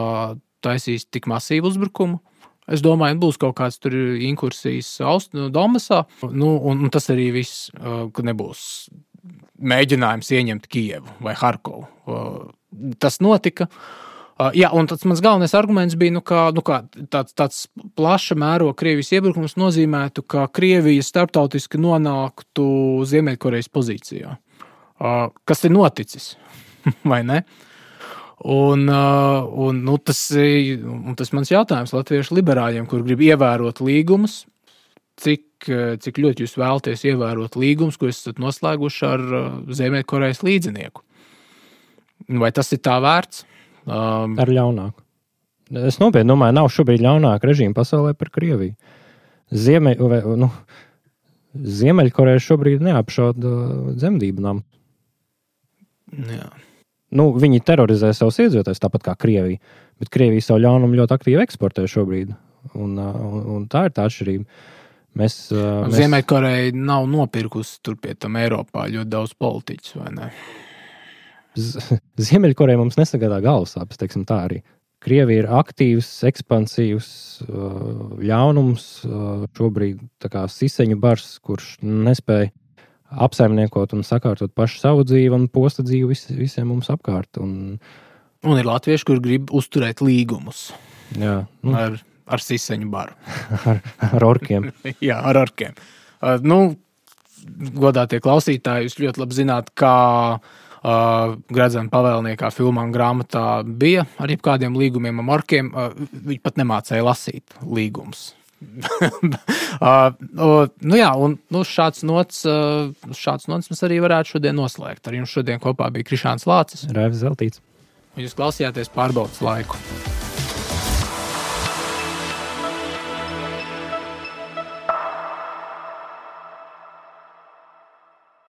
taisīs tik masīvu uzbrukumu. Es domāju, būs kaut kāds tur inkursijas Austru Donbasā, nu, un, un tas arī viss, uh, ka nebūs mēģinājums ieņemt Kijevu vai Harkovu. Uh, tas notika. Uh, jā, un tas mans galvenais arguments bija, nu, kā, nu, kā tāds, tāds plaša mēroga Krievijas iebrukums nozīmētu, ka Krievija starptautiski nonāktu Ziemeļkorejas pozīcijā. Uh, kas ir noticis, vai ne? Un, uh, un, nu, tas, un tas mans jautājums latviešu liberāļiem, kur grib ievērot līgumus, cik, cik ļoti jūs vēlaties ievērot līgumus, ko esat noslēguši ar uh, Ziemeļkorejas līdzinieku. Vai tas ir tā vērts? Um, ar ļaunāku. Es nopietni domāju, nav šobrīd ļaunāka režīma pasaulē par Krieviju. Ziemeļ, vai, nu, Ziemeļkoreja šobrīd neapšauda dzemdību namu. Jā. Nu, viņi terorizē savus iedzīvotājus tāpat kā Krievija, bet Krievija savu ļaunumu ļoti aktīvi eksportē šobrīd. Un, un, un tā ir tā atšķirība. Mēs, mēs... Ziemeļkoreja nav nopirkusi tur pie tam Eiropā ļoti daudz politiķus, vai ne? Ziemeļkoreja mums nesagādā galvasāpes, teiksim tā arī. Krievija ir aktīvs, ekspansīvs ļaunums, šobrīd tā kā siseņu bars, kurš nespēja apsaimniekot un sakārtot pašu savu dzīvi un posta dzīvi vis, visiem mums apkārt. Un, un ir latvieši, kur grib uzturēt līgumus. Jā. Nu, ar, ar siseņu baru. ar, ar orkiem. Jā, ar orkiem. Uh, nu, godātie klausītāji, jūs ļoti labi zināt, kā Uh, Gradzena pavēlniekā filmā un grāmatā bija ar jebkādiem līgumiem ar orkiem. Uh, viņi pat nemācēja lasīt līgumus. uh, uh, nu jā, un nu, šāds nots, uh, šāds nots mēs arī varētu šodien noslēgt. Ar jums šodien kopā bija Krišāns Lācis. Raivis Zeltīts. Jūs klausījāties Pārbaudas laiku.